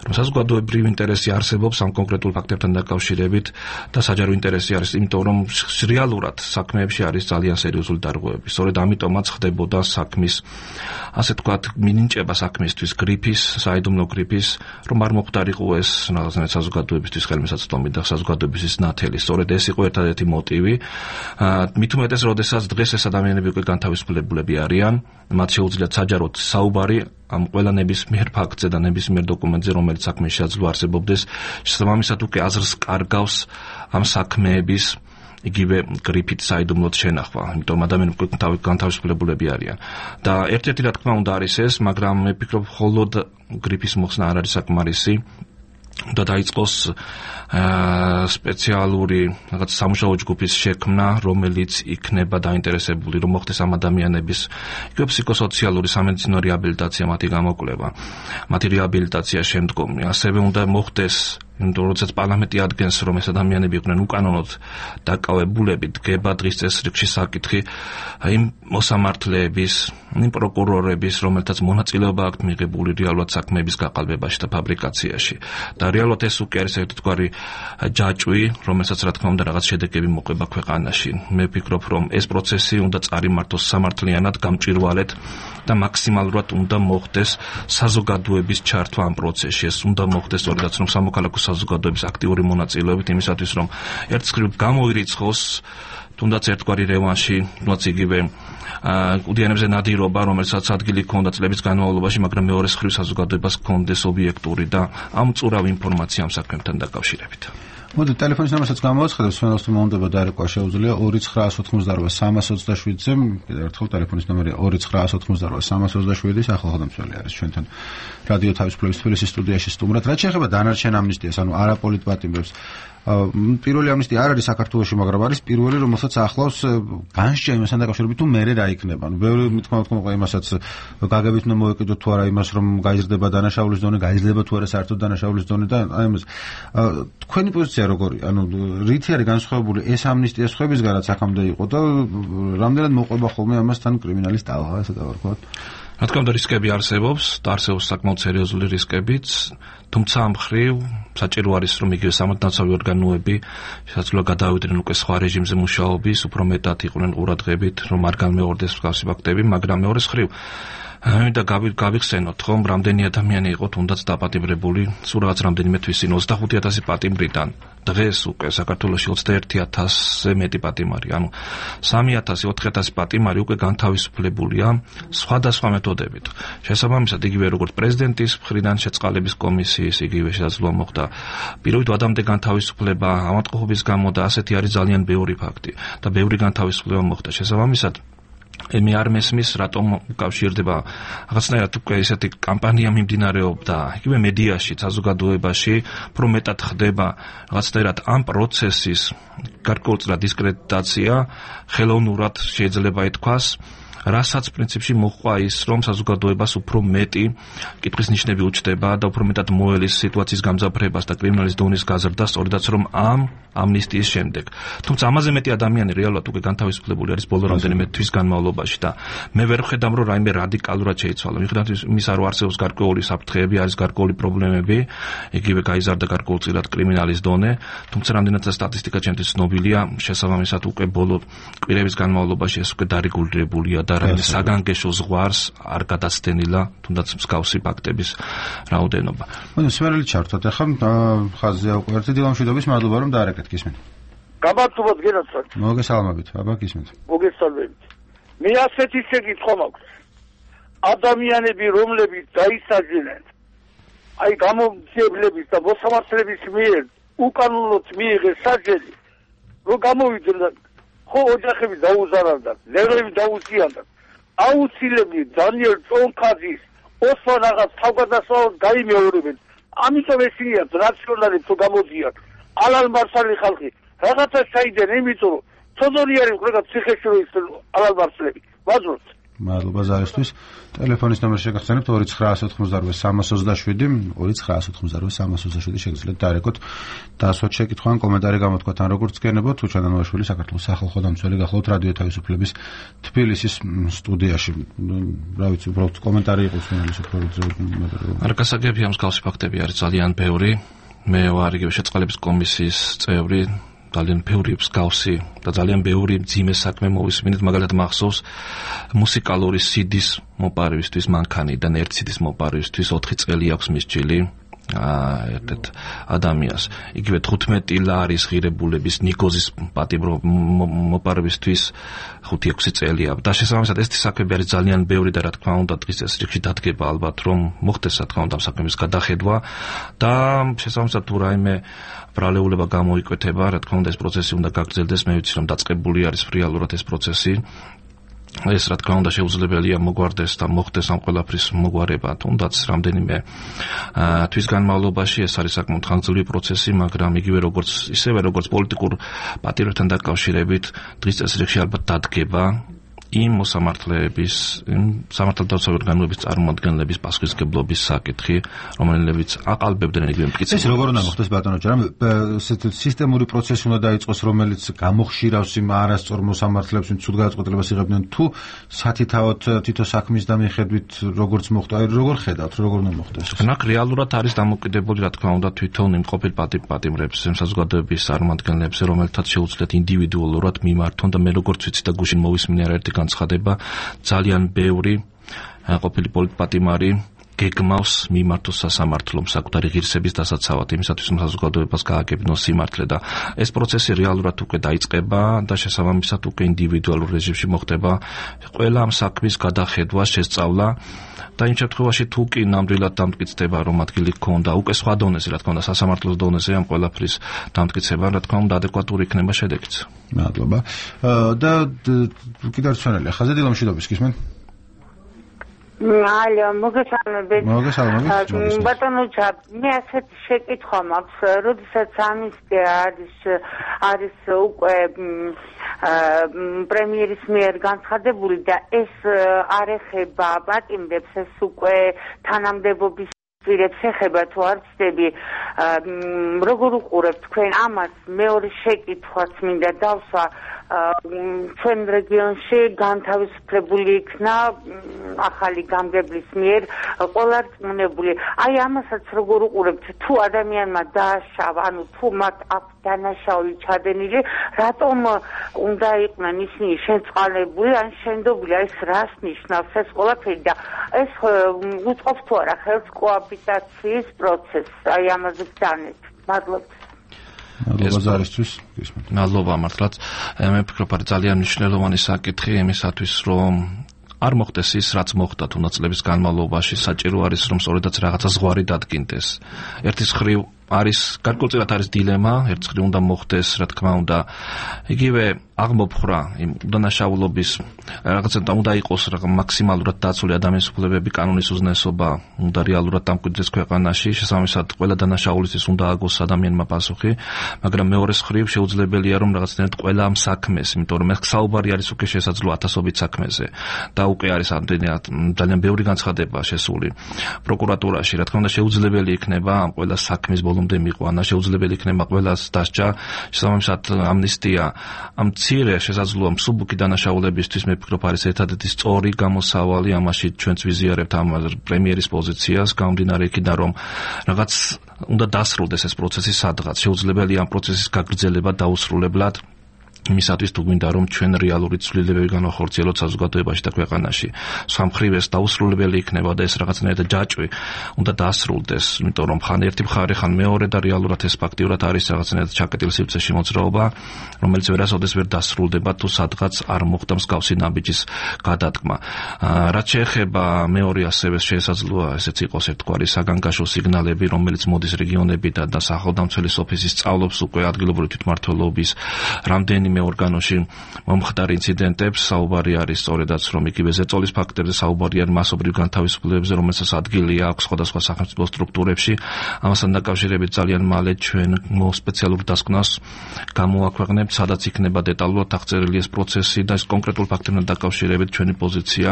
რომ საზოგადოებრივი ინტერესი არსებობს ამ კონკრეტულ ფაქტებთან დაკავშირებით და საჯარო ინტერესი არის, იმიტომ რომ რეალურად საქმეებში არის ძალიან სერიოზული დარღვევები. სწორედ ამიტომაც ხდებოდა საქმის ასე თქვათ მინინჭება საქმისთვის გრიფის, საიდუმლო გრიფის, რომ არ მოხდარიყო ეს რაღაცნაირად საზოგადოებისთვის ხელმისაწვდომი და საზოგადოებისთვის ნათელი. სწორედ ეს იყო ერთადერთი მოტივი. მით უმეტეს, როდესაც დღეს ეს ადამიანები უკვე განთავისუფლებულები არიან, მათ შეუძლიათ საჯაროდ საუბარი ამ ყველა ნებისმიერ ფაქტზე და ნებისმიერ დოკუმენტზე, რომელიც საქმის შესაძლო არსებობდეს, შესაბამისად უკვე აზრს კარგავს ამ საქმეების იგივე გრიფით საიდუმლოდ შენახვა, იმიტომ ადამიანები განთავისუფლებულები არიან. და ერთ-ერთი რა თქმა უნდა არის ეს, მაგრამ მე ვფიქრობ, მხოლოდ გრიფის მოხსნა არ არის საკმარისი. და დაიწყოს სპეციალური რაღაც სამუშაო ჯგუფის შექმნა, რომელიც იქნება დაინტერესებული, რომ მოხდეს ამ ადამიანების იგივე ფსიქოსოციალური სამედიცინო რეაბილიტაცია, მათი გამოკვლევა, მათი რეაბილიტაცია შემდგომი. ასევე უნდა მოხდეს იმიტომ როდესაც პარლამენტი ადგენს რომ ეს ადამიანები იყვნენ უკანონოდ დაკავებულები, დგება დღის წესრიგში საკითხი იმ მოსამართლეების, იმ პროკურორების, რომელთაც მონაწილეობა აქვთ მიღებული რეალურად საქმეების გაყალბებაში და ფაბრიკაციაში. და რეალურად ეს უკვე არის ერთგვარი ჯაჭვი, რომელსაც რა თქმა უნდა რაღაც შედეგები მოყვება ქვეყანაში. მე ვფიქრობ, რომ ეს პროცესი უნდა წარიმართოს სამართლიანად, გამჭვირვალედ და მაქსიმალურად უნდა მოხდეს საზოგადოების ჩართვა ამ პროცესში. ეს უნდა მოხდეს სწორედაც რომ სამოქალაქო საზოგადოების აქტიური მონაწილეობით იმისათვის რომ ერთხელ გამოირიცხოს თუნდაც ერთგვარი რევანში, თუნდაც იგივე უდიანებზე ნადირობა, რომელსაც ადგილი ჰქონდა წლების განმავლობაში, მაგრამ მეორე მხრივ საზოგადოებას ჰქონდეს ობიექტური და ამწურავი ინფორმაცია ამ საქმესთან დაკავშირებით. მოდი ტელეფონის ნომერსაც გამოვაცხადებ, სვენელს თუ მომდება დაერქვა შეუძლია 2988-327-ზე, კიდევ ერთხელ ტელეფონის ნომერი 2988-327, სახელმწიფო არის ჩვენთან რადიო თავისუფლების თბილისის სტუდიაში სტუმრად. რაც შეეხება დანარჩენ ამნისტიას, ანუ არაპოლიტ პატიმრებს, პირველი ამნისტია არ არის საქართველოში, მაგრამ არის პირველი, რომელსაც ახლავს განსჯა იმასთან დაკავშირებით, თუ მერე რა იქნება. ანუ ბევრი მithმა მოყვა იმასაც გაგებით უნდა მოვეკიდოთ თუ არა იმას, რომ გაიზრდება დანაშაულის დონე, გაიზრდება თუ არა საერთოდ დანაშაულის დონე და აი ამას. თქვენი პოზიცია როგორია? ანუ რითი არის განსხვავებული ეს ამნისტია სხვებისგან, რაც აქამდე იყო და რამდენად მოყვება ხოლმე ამასთან კრიმინალის ტალღა, ასე დავარქვათ? რა თქმა უნდა რისკები არსებობს და არსებობს საკმაოდ სერიოზული რისკებიც, თუმცა ამ მხრივ საჭირო არის რომ იგივე სამართალდამცავი ორგანოები შესაძლოა გადავიდნენ უკვე სხვა რეჟიმზე მუშაობის, უფრო მეტად იყვნენ ყურადღებით, რომ არ განმეორდეს მსგავსი ფაქტები, მაგრამ მეორე მხრივ და გავიხსენოთ ხომ რამდენი ადამიანი იყო თუნდაც დაპატიმრებული, სულ რაღაც რამდენიმე თვის წინ 25000 პატიმრიდან დღეს უკვე საქართველოში 21000-ზე მეტი პატიმარი, ანუ 3000-4000 პატიმარი უკვე განთავისუფლებულია სხვადასხვა მეთოდებით. შესაბამისად იგივე როგორც პრეზიდენტის მხრიდან შეწყალების კომისიის იგივე შესაძლოა მოხდა პირობით ადამიანთა განთავისუფლება ავადმყოფობის გამო და ასეთი არის ძალიან ბევრი ფაქტი და ბევრი განთავისუფლება მოხდა. შესაბამისად მე არ მესმის რატომ უკავშირდება რაღაცნაირად უკვე ესეთი კამპანია მიმდინარეობდა იგივე მედიაში, საზოგადოებაში, უფრო მეტად ხდება რაღაცნაირად ამ პროცესის გარკვეულწილად დისკრედიტაცია, ხელოვნურად შეიძლება ითქვას, რასაც პრინციპში მოჰყვა ის, რომ საზოგადოებას უფრო მეტი კითხვის ნიშნები უჩნდება და უფრო მეტად მოელის სიტუაციის გამძაფრებას და კრიმინალის დონის გაზრდას, სწორედაც რომ ამ ამნისტიის შემდეგ. თუმცა ამაზე მეტი ადამიანი რეალურად უკვე განთავისუფლებული არის ბოლო რამდენიმე თვის განმავლობაში და მე ვერ ვხედავ, რომ რაიმე რადიკალურად შეიცვალა. მიუხედავად იმისა, რომ არსებობს გარკვეული საფრთხეები, არის გარკვეული პრობლემები, იგივე გაიზარდა გარკვეულწილად კრიმინალის დონე, თუმცა რამდენად სტატისტიკა ჩემთვის ცნობილია, შესაბამისად უკვე ბოლო კვირების განმავლობაში ეს უკვე დარეგულირებულია და რაიმე საგანგეშო ზღვარს არ გადაცდენილა, თუნდაც მსგავსი ფაქტების რაოდენობა. ანუ სვენელი ჩართოთ, ახლა ხაზზე უკვე ერთი დილამშვიდობის მადლობა რომ დაარეკეთ, გისმენთ. გამარჯობათ გენაცვალეთ. მოგესალმებით, აბა გისმენთ. მოგესალმებით. მე ასეთი შეკითხვა მაქვს. ადამიანები, რომლებიც დაისაჯნენ აი გამომცემლების და მოსამართლების მიერ უკანონოდ მიიღეს საჯელი, რომ გამოვიდნენ, ხო ოჯახები დაუზარავდათ, ნერვები დაუზიანდათ. აუცილებლად დანიელ ჭონქაძის ოსმან აღას თავგადასავლად გაიმეორებენ. ამიტომ ესიათ რაციონალებს თუ გამოდიან. ალალმარსალი ხალხი რაღაცა ჩაიდნენ, იმიტომ რომ თოდორი არის უბრალოდ ციხეში ალალმარსლები. ვაძროთ. მადლობა ზარისთვის. ტელეფონის ნომერი შეგახსენებთ 2988 2988 შეგიძლიათ დაერეკოთ დასვათ შეკითხვა ან კომენტარი გამოთქვათ ან როგორც გენებოთ უჩანანოაშვილი საქართველოს სახალხო დამცველი გახლავთ რადიო თავისუფლების თბილისის სტუდიაში. რა ვიცი, უბრალოდ კომენტარი იყოს რომელიც უფრო არ გასაგებია მსგავსი ფაქტები არის ძალიან ბევრი. მე ვარ იგივე შეწყალების კომისიის წევრი. ძალიან ბევრი მსგავსი და ძალიან ბევრი მძიმე საქმე მოვისმინეთ, მაგალითად მახსოვს მუსიკალური CD-ს მოპარვისთვის მანქანიდან 1 CD-ს მოპარვისთვის 4 წელი აქვს მისჯილი ერთ ადამიანს. იგივე 15 ლარის ღირებულების ნიკოზის პატიმრო მოპარვისთვის 5-6 წელი აქვს. და შესაბამისად ეს საქმეები არის ძალიან ბევრი და რა თქმა უნდა დღის წესრიგში დადგება ალბათ რომ მოხდეს რა თქმა უნდა საქმის გადახედვა და შესაბამისად თუ რაიმე ბრალეულება გამოიკვეთება, რა თქმა უნდა ეს პროცესი უნდა გაგრძელდეს, მე ვიცი რომ დაწყებული არის რეალურად ეს პროცესი. ეს რა თქმა უნდა შეუძლებელია მოგვარდეს და მოხდეს ამ ყველაფრის მოგვარება, თუნდაც რამდენიმე თვის განმავლობაში ეს არის საკმაოდ ხანგრძლივი პროცესი, მაგრამ იგივე როგორც პოლიტიკურ პატივებთან დაკავშირებით დღის წესრიგში ალბათ დადგება იმ მოსამართლეების, სამართალდაცვი ორგანოების წარმომადგენლების პასუხისმგებლობის საკითხი, რომელებიც აყალბებდნენ იგივე მტკიცებას. ეს როგორ უნდა მოხდეს ბატონო ჯერამ? სისტემური პროცესი უნდა დაიწყოს, რომელიც გამოხშირავს იმ არასწორ მოსამართლეებს, ვინც ცუდ გადაწყვეტილებას იღებდნენ, თუ სათითაოდ თითო საქმის და მიხედვით როგორც მოხდა, როგორ ხედავთ, როგორ უნდა მოხდეს? ნახ რეალურად არის დამოკიდებული, რა თქმა უნდა, თვითონ იმ ყოფილ პატიმრებს, იმ საზოგადოების წარმომადგენლებს, რომელთაც შეუძლიათ ინდივიდუალურად მიმართონ და მე როგორც ვიცი და გუშინ მოვისმინე არაერთი განცხადება, ძალიან ბევრი ყოფილი პოლიტპატიმარი გეგმავს მიმართოს სასამართლომ საკუთარი ღირსების დასაცავად, იმისათვის რომ საზოგადოებას გააგებინოს სიმართლე და ეს პროცესი რეალურად უკვე დაიწყება და შესაბამისად უკვე ინდივიდუალურ რეჟიმში მოხდება ყველა ამ საქმის გადახედვა, შესწავლა და იმ შემთხვევაში თუ კი ნამდვილად დამტკიცდება რომ ადგილი ჰქონდა უკვე სხვა დონეზე, რა თქმა უნდა სასამართლოს დონეზე ამ ყველაფრის დამტკიცება, რა თქმა უნდა ადეკვატური იქნება შედეგიც. მადლობა. და კიდევ რჩენელი ხაზე დილომშვიდობის გისმენ? ალო, მოგესალმებით. ბატონო ჯაბ, მე ასეთ შეკითხვა მაქვს, როდესაც ამნისტია არის უკვე პრემიერის მიერ განცხადებული და ეს არ ეხება პატიმრებს, ეს უკვე თანამდებობის პირებს ეხება თუ არ ვცდები, როგორ უყურებთ თქვენ ამას? მეორე შეკითხვაც მინდა დავსვა, ჩვენ რეგიონში განთავისუფლებული იქნა ახალი გამგებლის მიერ ყველარწმუნებული. აი ამასაც როგორ უყურებთ? თუ ადამიანმა დააშავა, ანუ თუ მათ აქვს დანაშაული ჩადენილი, რატომ უნდა იყვნენ ისინი შეწყალებული ან შენდობილი? ეს რას ნიშნავს ეს ყველაფერი და ეს უწყობს თუ არა ხელს კოაბიტაციის პროცესს? აი ამაზე გძანეთ. მადლობა. მადლობა მართლაც. მე ვფიქრობ არის ძალიან მნიშვნელოვანი საკითხი იმისათვის რომ არ მოხდეს ის რაც მოხდა თუნდაც წლების განმავლობაში, საჭირო არის რომ სწორედაც რაღაცა ზღვარი დადგინდეს. ერთის მხრივ არის გარკვეულწილად არის დილემა, ერთ მხრივ უნდა მოხდეს, რა თქმა უნდა, იგივე აღმოფხრა იმ უდანაშაულობის რაღაცა უნდა იყოს მაქსიმალურად დაცული ადამიანის უფლებები, კანონის უზნესობა უნდა რეალურად დამკვიდრდეს ქვეყანაში, შესაბამისად ყველა დანაშაულისთვის უნდა აგოს ადამიანმა პასუხი, მაგრამ მეორეს მხრივ შეუძლებელია რომ რაღაცნაირად ყველა ამ საქმეს, იმიტომ რომ ეს საუბარი არის უკვე შესაძლოა ათასობით საქმეზე და უკვე არის ძალიან ბევრი განცხადება შესული პროკურატურაში, რა თქმა უნდა შეუძლებელი იქნება ამ ყველა საქმის ბოლომდე მიყვანა, შეუძლებელი იქნება ყველას დასჯა, შესაბამისად ამნისტია ამ მცირე შესაძლოა მსუბუქი დანაშაულებისთვის მე ვფიქრობ არის ერთადერთი სწორი გამოსავალი, ამაში ჩვენც ვიზიარებთ ამ პრემიერის პოზიციას, გამომდინარე იქიდან რომ რაღაც უნდა დასრულდეს ეს პროცესი სადღაც, შეუძლებელია ამ პროცესის გაგრძელება დაუსრულებლად იმისათვის თუ გვინდა რომ ჩვენ რეალური ცვლილებები განვახორციელოთ საზოგადოებაში და ქვეყანაში. სხვა მხრივ ეს დაუსრულებელი იქნება და ეს რაღაცნაირად ჯაჭვი უნდა დაასრულდეს, იმიტომ რომ ხან ერთი მხარე, ხან მეორე და რეალურად ეს ფაქტიურად არის რაღაცნაირად ჩაკეტილი სივრცეში მოძრაობა, რომელიც ვერასოდეს ვერ დასრულდება თუ სადღაც არ მოხდა მსგავსი ნაბიჯის გადადგმა. რაც შეეხება მეორე ასევე შესაძლოა ესეც იყოს ერთგვარი საგანგაშო სიგნალები, რომელიც მოდის რეგიონებიდან და სახელმწიფო ოფისის სწავლობს უკვე ადგილობრივი თვითმმართველობის რამდენიმე ორგანოში მომხდარ ინციდენტებს, საუბარი არის სწორედაც რომ იგივე ზეწოლის ფაქტებზე, საუბარი არის მასობრივ განთავისუფლებებზე, რომელსაც ადგილი აქვს სხვადასხვა სახელმწიფო სტრუქტურებში. ამასთან დაკავშირებით ძალიან მალე ჩვენ სპეციალურ დასკვნას გამოაქვეყნებთ, სადაც იქნება დეტალურად აღწერილი ეს პროცესი და ეს კონკრეტულ ფაქტებთან დაკავშირებით ჩვენი პოზიცია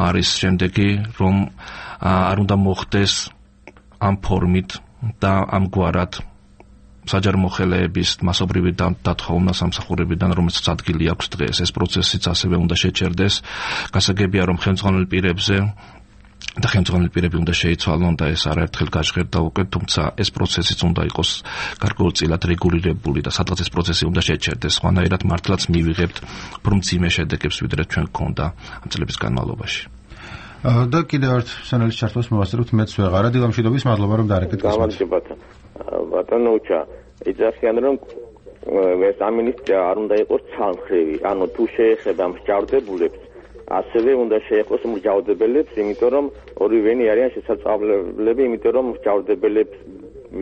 არის შემდეგი, რომ არ უნდა მოხდეს ამ ფორმით და ამგვარად საჯარო მოხელეების მასობრივი დათხოვნა სამსახურებიდან, რომელსაც ადგილი აქვს დღეს. ეს პროცესიც ასევე უნდა შეჩერდეს. გასაგებია, რომ ხელმძღვანელ პირებზე და ხელმძღვანელი პირები უნდა შეიცვალონ და ეს არაერთხელ გაჟღერდა უკვე, თუმცა ეს პროცესიც უნდა იყოს გარკვეულწილად რეგულირებული და სადღაც ეს პროცესი უნდა შეჩერდეს. სხვანაირად მართლაც მივიღებთ მძიმე შედეგებს, ვიდრე ჩვენ გქონდა ამ წლების განმავლობაში. და კიდევ ერთ სანალის ჩართვას მოვასწრებთ მეც ვეღარა დილამშვიდობის, მადლობა რომ დარეკეთ. გამარჯობათ. ბატონო უჩა, იძახიან რომ ეს ამინისტრია არ უნდა იყოს ცალმხრივი, ანუ თუ შეეხება მსჯავრდებულებს, ასევე უნდა შეეხოს მსჯავრდებელებს, იმიტომ რომ ორივენი არიან შესაძლებლები, იმიტომ რომ მსჯავრდებელებს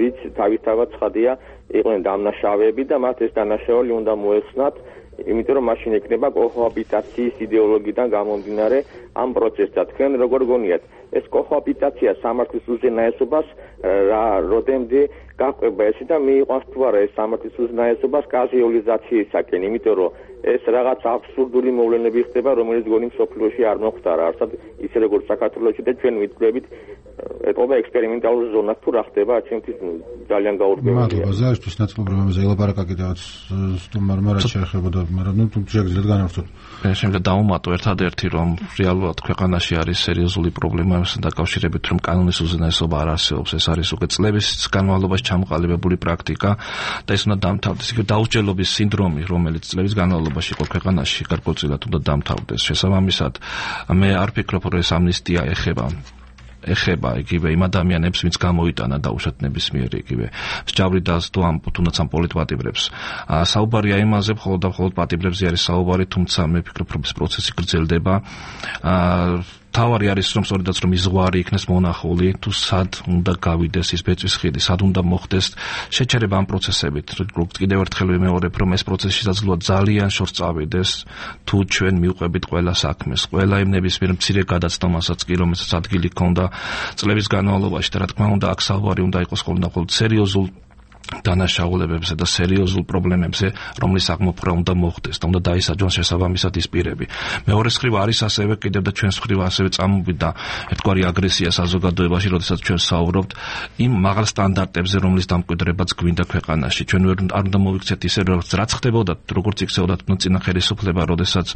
ვიც თავისთავად ცხადია იყვნენ დამნაშავეები და მათ ეს დანაშაული უნდა მოეხსნათ, იმიტომ რომ მაშინ ექნება კოჰაბიტაციის იდეოლოგიიდან გამომდინარე ამ პროცესს. თქვენ როგორ გონიათ, ეს კოჰაბიტაცია სამართლის უზენაესობას როდემდე გაყვება ესე და მიიყვანს თუ არა ეს სამართლის უზენაესობას კაზუალიზაციისაკენ, იმიტომ რომ ეს რაღაც აბსურდული მოვლენები ხდება, რომელიც გონი მსოფლიოში არ მოხდარა, არსად ისე როგორც საქართველოში და ჩვენ ვიტყვებით ეტყობა ექსპერიმენტალურ ზონას თუ რა ხდება, ჩემთვის ძალიან გაურკვეველია. მადლობა ზარისთვის ნაცნობრებებზე ელაპარაკა კიდევაც სტუმარმა რაც შეეხებოდა, მაგრამ თუ შეგიძლიათ განავრცოთ. შემდეგ დავუმატო ერთადერთი რომ რეალურად ქვეყანაში არის სერიოზული პრობლემა ამასთან დაკავშირებით, რომ კანონის უზენაესობა არ არსებობს. ეს არის უკვე წლების განმავლობაში ჩამოყალიბებული პრაქტიკა და ეს უნდა დამთავრდეს. იქ დაუსჯელობის სინდრომი, რომელიც წლების განმავლობაში იყო ქვეყანაში, გარკვეულწილად უნდა დამთავრდეს. შესაბამისად, მე არ ვფიქრობ, რომ ეს ამნისტია ეხება იგივე იმ ადამიანებს, ვინც გამოიტანა დაუშვათ ნებისმიერ იგივე მსჯავრით და თუნდაც ამ პოლიტპატიმრებს. საუბარია იმაზე, მხოლოდ და მხოლოდ პატიმრებზე არის საუბარი, თუმცა მე ვფიქრობ, რომ ეს პროცესი გრძელდება. თავარი არის რომ სწორედაც რომ იზღვარი იქნეს მონახული, თუ სად უნდა გავიდეს ის ბეწვის ხიდი, სად უნდა მოხდეს შეჩერება ამ პროცესებით. კიდევ ერთხელ ვიმეორებ, რომ ეს პროცესი შესაძლოა ძალიან შორს წავიდეს, თუ ჩვენ მივყვებით ყველა საქმეს, ყველა იმ ნებისმიერ მცირე გადაცდომასაც კი, რომელსაც ადგილი ჰქონდა წლების განმავლობაში და რა თქმა უნდა, აქ საუბარი უნდა იყოს მხოლოდ სერიოზულ დანაშაულებებზე და სერიოზულ პრობლემებზე, რომლის აღმოფხვრა უნდა მოხდეს და უნდა დაისაჯონ შესაბამისად ის პირები. მეორე მხრივ არის ასევე კიდევ და ჩვენს მხრივ ასევე წამოვიდა ერთგვარი აგრესია საზოგადოებაში, როდესაც ჩვენ საუბრობთ იმ მაღალ სტანდარტებზე, რომლის დამკვიდრებაც გვინდა ქვეყანაში. ჩვენ არ უნდა მოვიქცეთ ისე, რაც ხდებოდა, როგორც იქცეოდა წინა ხელისუფლება, როდესაც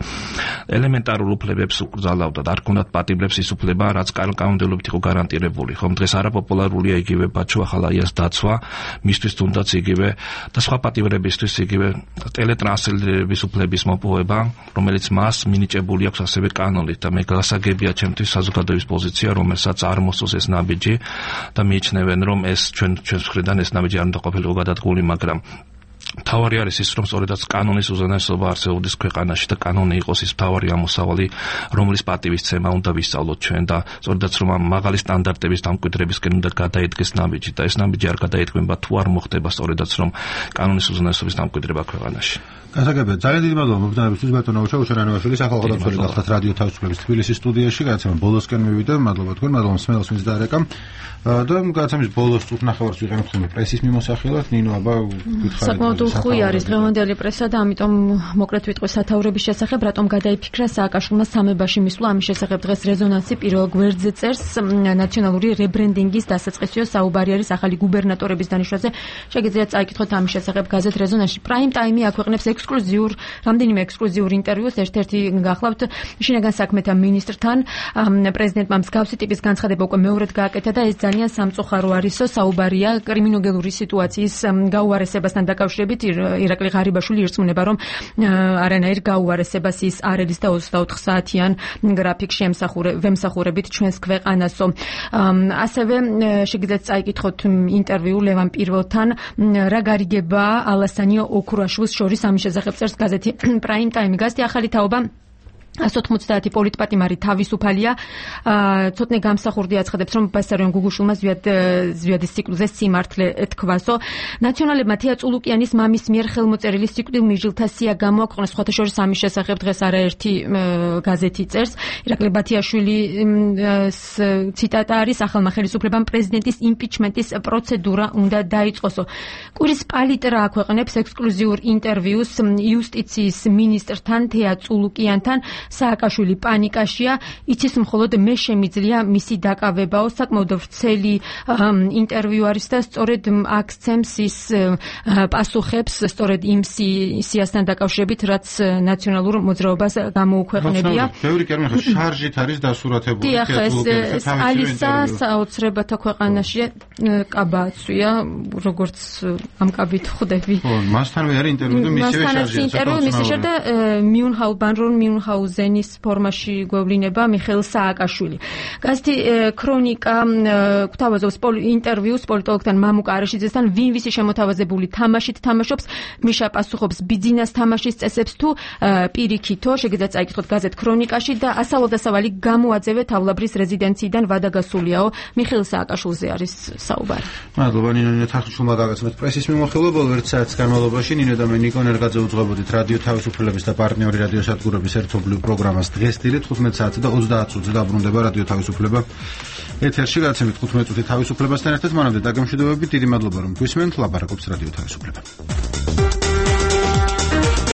ელემენტარულ უფლებებს უკრძალავდა და არ ქონდათ პატიმრებს ის უფლება, რაც კანონმდებლობით იყო გარანტირებული. ხომ დღეს არაპოპულარულია იგივე ბაჩუახალაიას დაცვა, მისთვის თუნდაც იგივე და სხვა პატიმრებისთვის იგივე ტელეტრანსლირების უფლების მოპოვება, რომელიც მას მინიჭებული აქვს ასევე კანონით და მე გასაგებია ჩემთვის საზოგადოების პოზიცია, რომელსაც არ მოსწონს ეს ნაბიჯი და მიიჩნევენ, რომ ეს ჩვენს მხრიდან ეს ნაბიჯი არ უნდა ყოფილიყო გადადგმული, მაგრამ თავარი არის ის, რომ სწორედაც კანონის უზენაესობა არსებობდეს ქვეყანაში და კანონი იყოს ის თავარი ამოსავალი, რომლის პატივისცემა უნდა ვისწავლოთ ჩვენ და სწორედაც რომ ამ მაღალი სტანდარტების დამკვიდრებისკენ უნდა გადაედგეს ნაბიჯი და ეს ნაბიჯი არ გადაედგმება თუ არ მოხდება სწორედაც რომ კანონის უზენაესობის დამკვიდრება ქვეყანაში. გასაგებია, ძალიან დიდი მადლობა მოგზაურობისთვის ბატონო უჩა უშენანოვაშვილი, სახალხო დამცველი გახდათ რადიო თავისუფლების თბილისის სტუდიაში, გადაცემა ბოლოსკენ მივიდა, მადლობა თქვენ, მადლობა მსმენელს ვინც დაარეკა. და გადაცემის ბოლოს წუთნახევარს ვიყენებთ ხოლმე პრესის მიმოსახელად, ნინო აბა გითხარით. საკმაოდ უხვი არის დღევანდელი პრესა და ამიტომ მოკლედ ვიტყვი სათაურების შესახებ, რატომ გადაიფიქრა სააკაშვილმა სამებაში მისვლა, ამის შესახებ დღეს რეზონანსი პირველ გვერდზე წერს, ნაციონალური რებრენდინგის დასაწყისიო საუბარი არის ახალი გუბერნატორების დანიშვნაზე. შეგიძლიათ წაიკითხოთ ამის შესახებ გაზეთ რეზონანსში. პრაიმ ტაიმი აქვეყნებს რამდენიმე ექსკლუზიურ ინტერვიუს, ერთ-ერთი გახლავთ შინაგან საქმეთა მინისტრთან. პრეზიდენტმა მსგავსი ტიპის განცხადება უკვე მეორედ გააკეთა და ეს ძალიან სამწუხარო არისო, საუბარია კრიმინოგენური სიტუაციის გაუარესებასთან დაკავშირებით. გამოსავალებით ირაკლი ღარიბაშვილი ირწმუნება, რომ არანაირ გაუარესებას ის არ ედის და 24 საათიან გრაფიკში ვემსახურებით ჩვენს ქვეყანასო. ასევე შეგიძლიათ წაიკითხოთ ინტერვიუ ლევან პირველთან, რა გარიგება ალასანიო ოქრუაშვილს შორის ამის შესახებ წერს გაზეთი Prime Time. გაზეთი ახალი თაობა 190 პოლიტპატიმარი თავისუფალია. ცოტნე გამსახურდი აცხადებს, რომ ბასარიონ გუგუშვილმა ზვიადის ციკლზე სიმართლე თქვასო. ნაციონალებმა თეა წულუკიანის მამის მიერ ხელმოწერილი სიკვდილ მიჟილთა სია გამოაქვეყნეს. სხვათა შორის ამის შესახებ დღეს არაერთი გაზეთი წერს. ირაკლი ბათიაშვილის ციტატა არის: ახალმა ხელისუფლებამ პრეზიდენტის იმპიჩმენტის პროცედურა უნდა დაიწყოსო. კვირის პალიტრა აქვეყნებს ექსკლუზიურ ინტერვიუს იუსტიციის ministrთან თეა წულუკიანთან. სააკაშვილი პანიკაშია, იცის მხოლოდ მე შემიძლია მისი დაკავებაო. საკმაოდ ვრცელი ინტერვიუ არის და სწორედ აქცემს ის პასუხებს სწორედ იმ სიასთან დაკავშირებით, რაც ნაციონალურ მოძრაობას გამოუქვეყნებია. ბევრი კი არ მეხა შარჟით არის დასურათებული ეს ალისა საოცრებათა ქვეყანაში კაბაცვია, როგორც ამ კაბით ხვდები. მასთანვე არის ინტერვიუ და მისივე შარჟია. ინტერვიუ მისივე და მიუნჰაუზენის ფორმაში გვევლინება მიხეილ სააკაშვილი. გაზეთი ქრონიკა გვთავაზობს ინტერვიუს პოლიტოლოგთან მამუკა არაშიძესთან, ვინ ვისი შემოთავაზებული თამაშით თამაშობს, მიშა პასუხობს ბიძინას თამაშის წესებს თუ პირიქითო. შეგიძლიათ წაიკითხოთ გაზეთ ქრონიკაში და ასავალ-დასავალი გამოაძევე თავლაბრის რეზიდენციიდან ვადაგასულიაო. მიხეილ სააკაშვილზე არის საუბარი. მადლობა ნინო თახჩულმა გაგაცნოთ პრესის მიმოხილვა. ბოლო 1 საათის განმავლობაში ნინო და მე ნიკო ნერგაძე უძღვებოდით რადიო თავისუფლების და პარტნიორი რადიო სადგურების ერთობლივ პროგრამას. დღეს დილით 15 საათზე და 30 წუთზე დაბრუნდება რადიო თავისუფლება ეთერში. გაცემით 15 წუთი თავისუფლებასთან ერთად. მანამდე დაგემშვიდობებით, დიდი მადლობა რომ გვისმენთ. ლაპარაკობს რადიო თავისუფლება.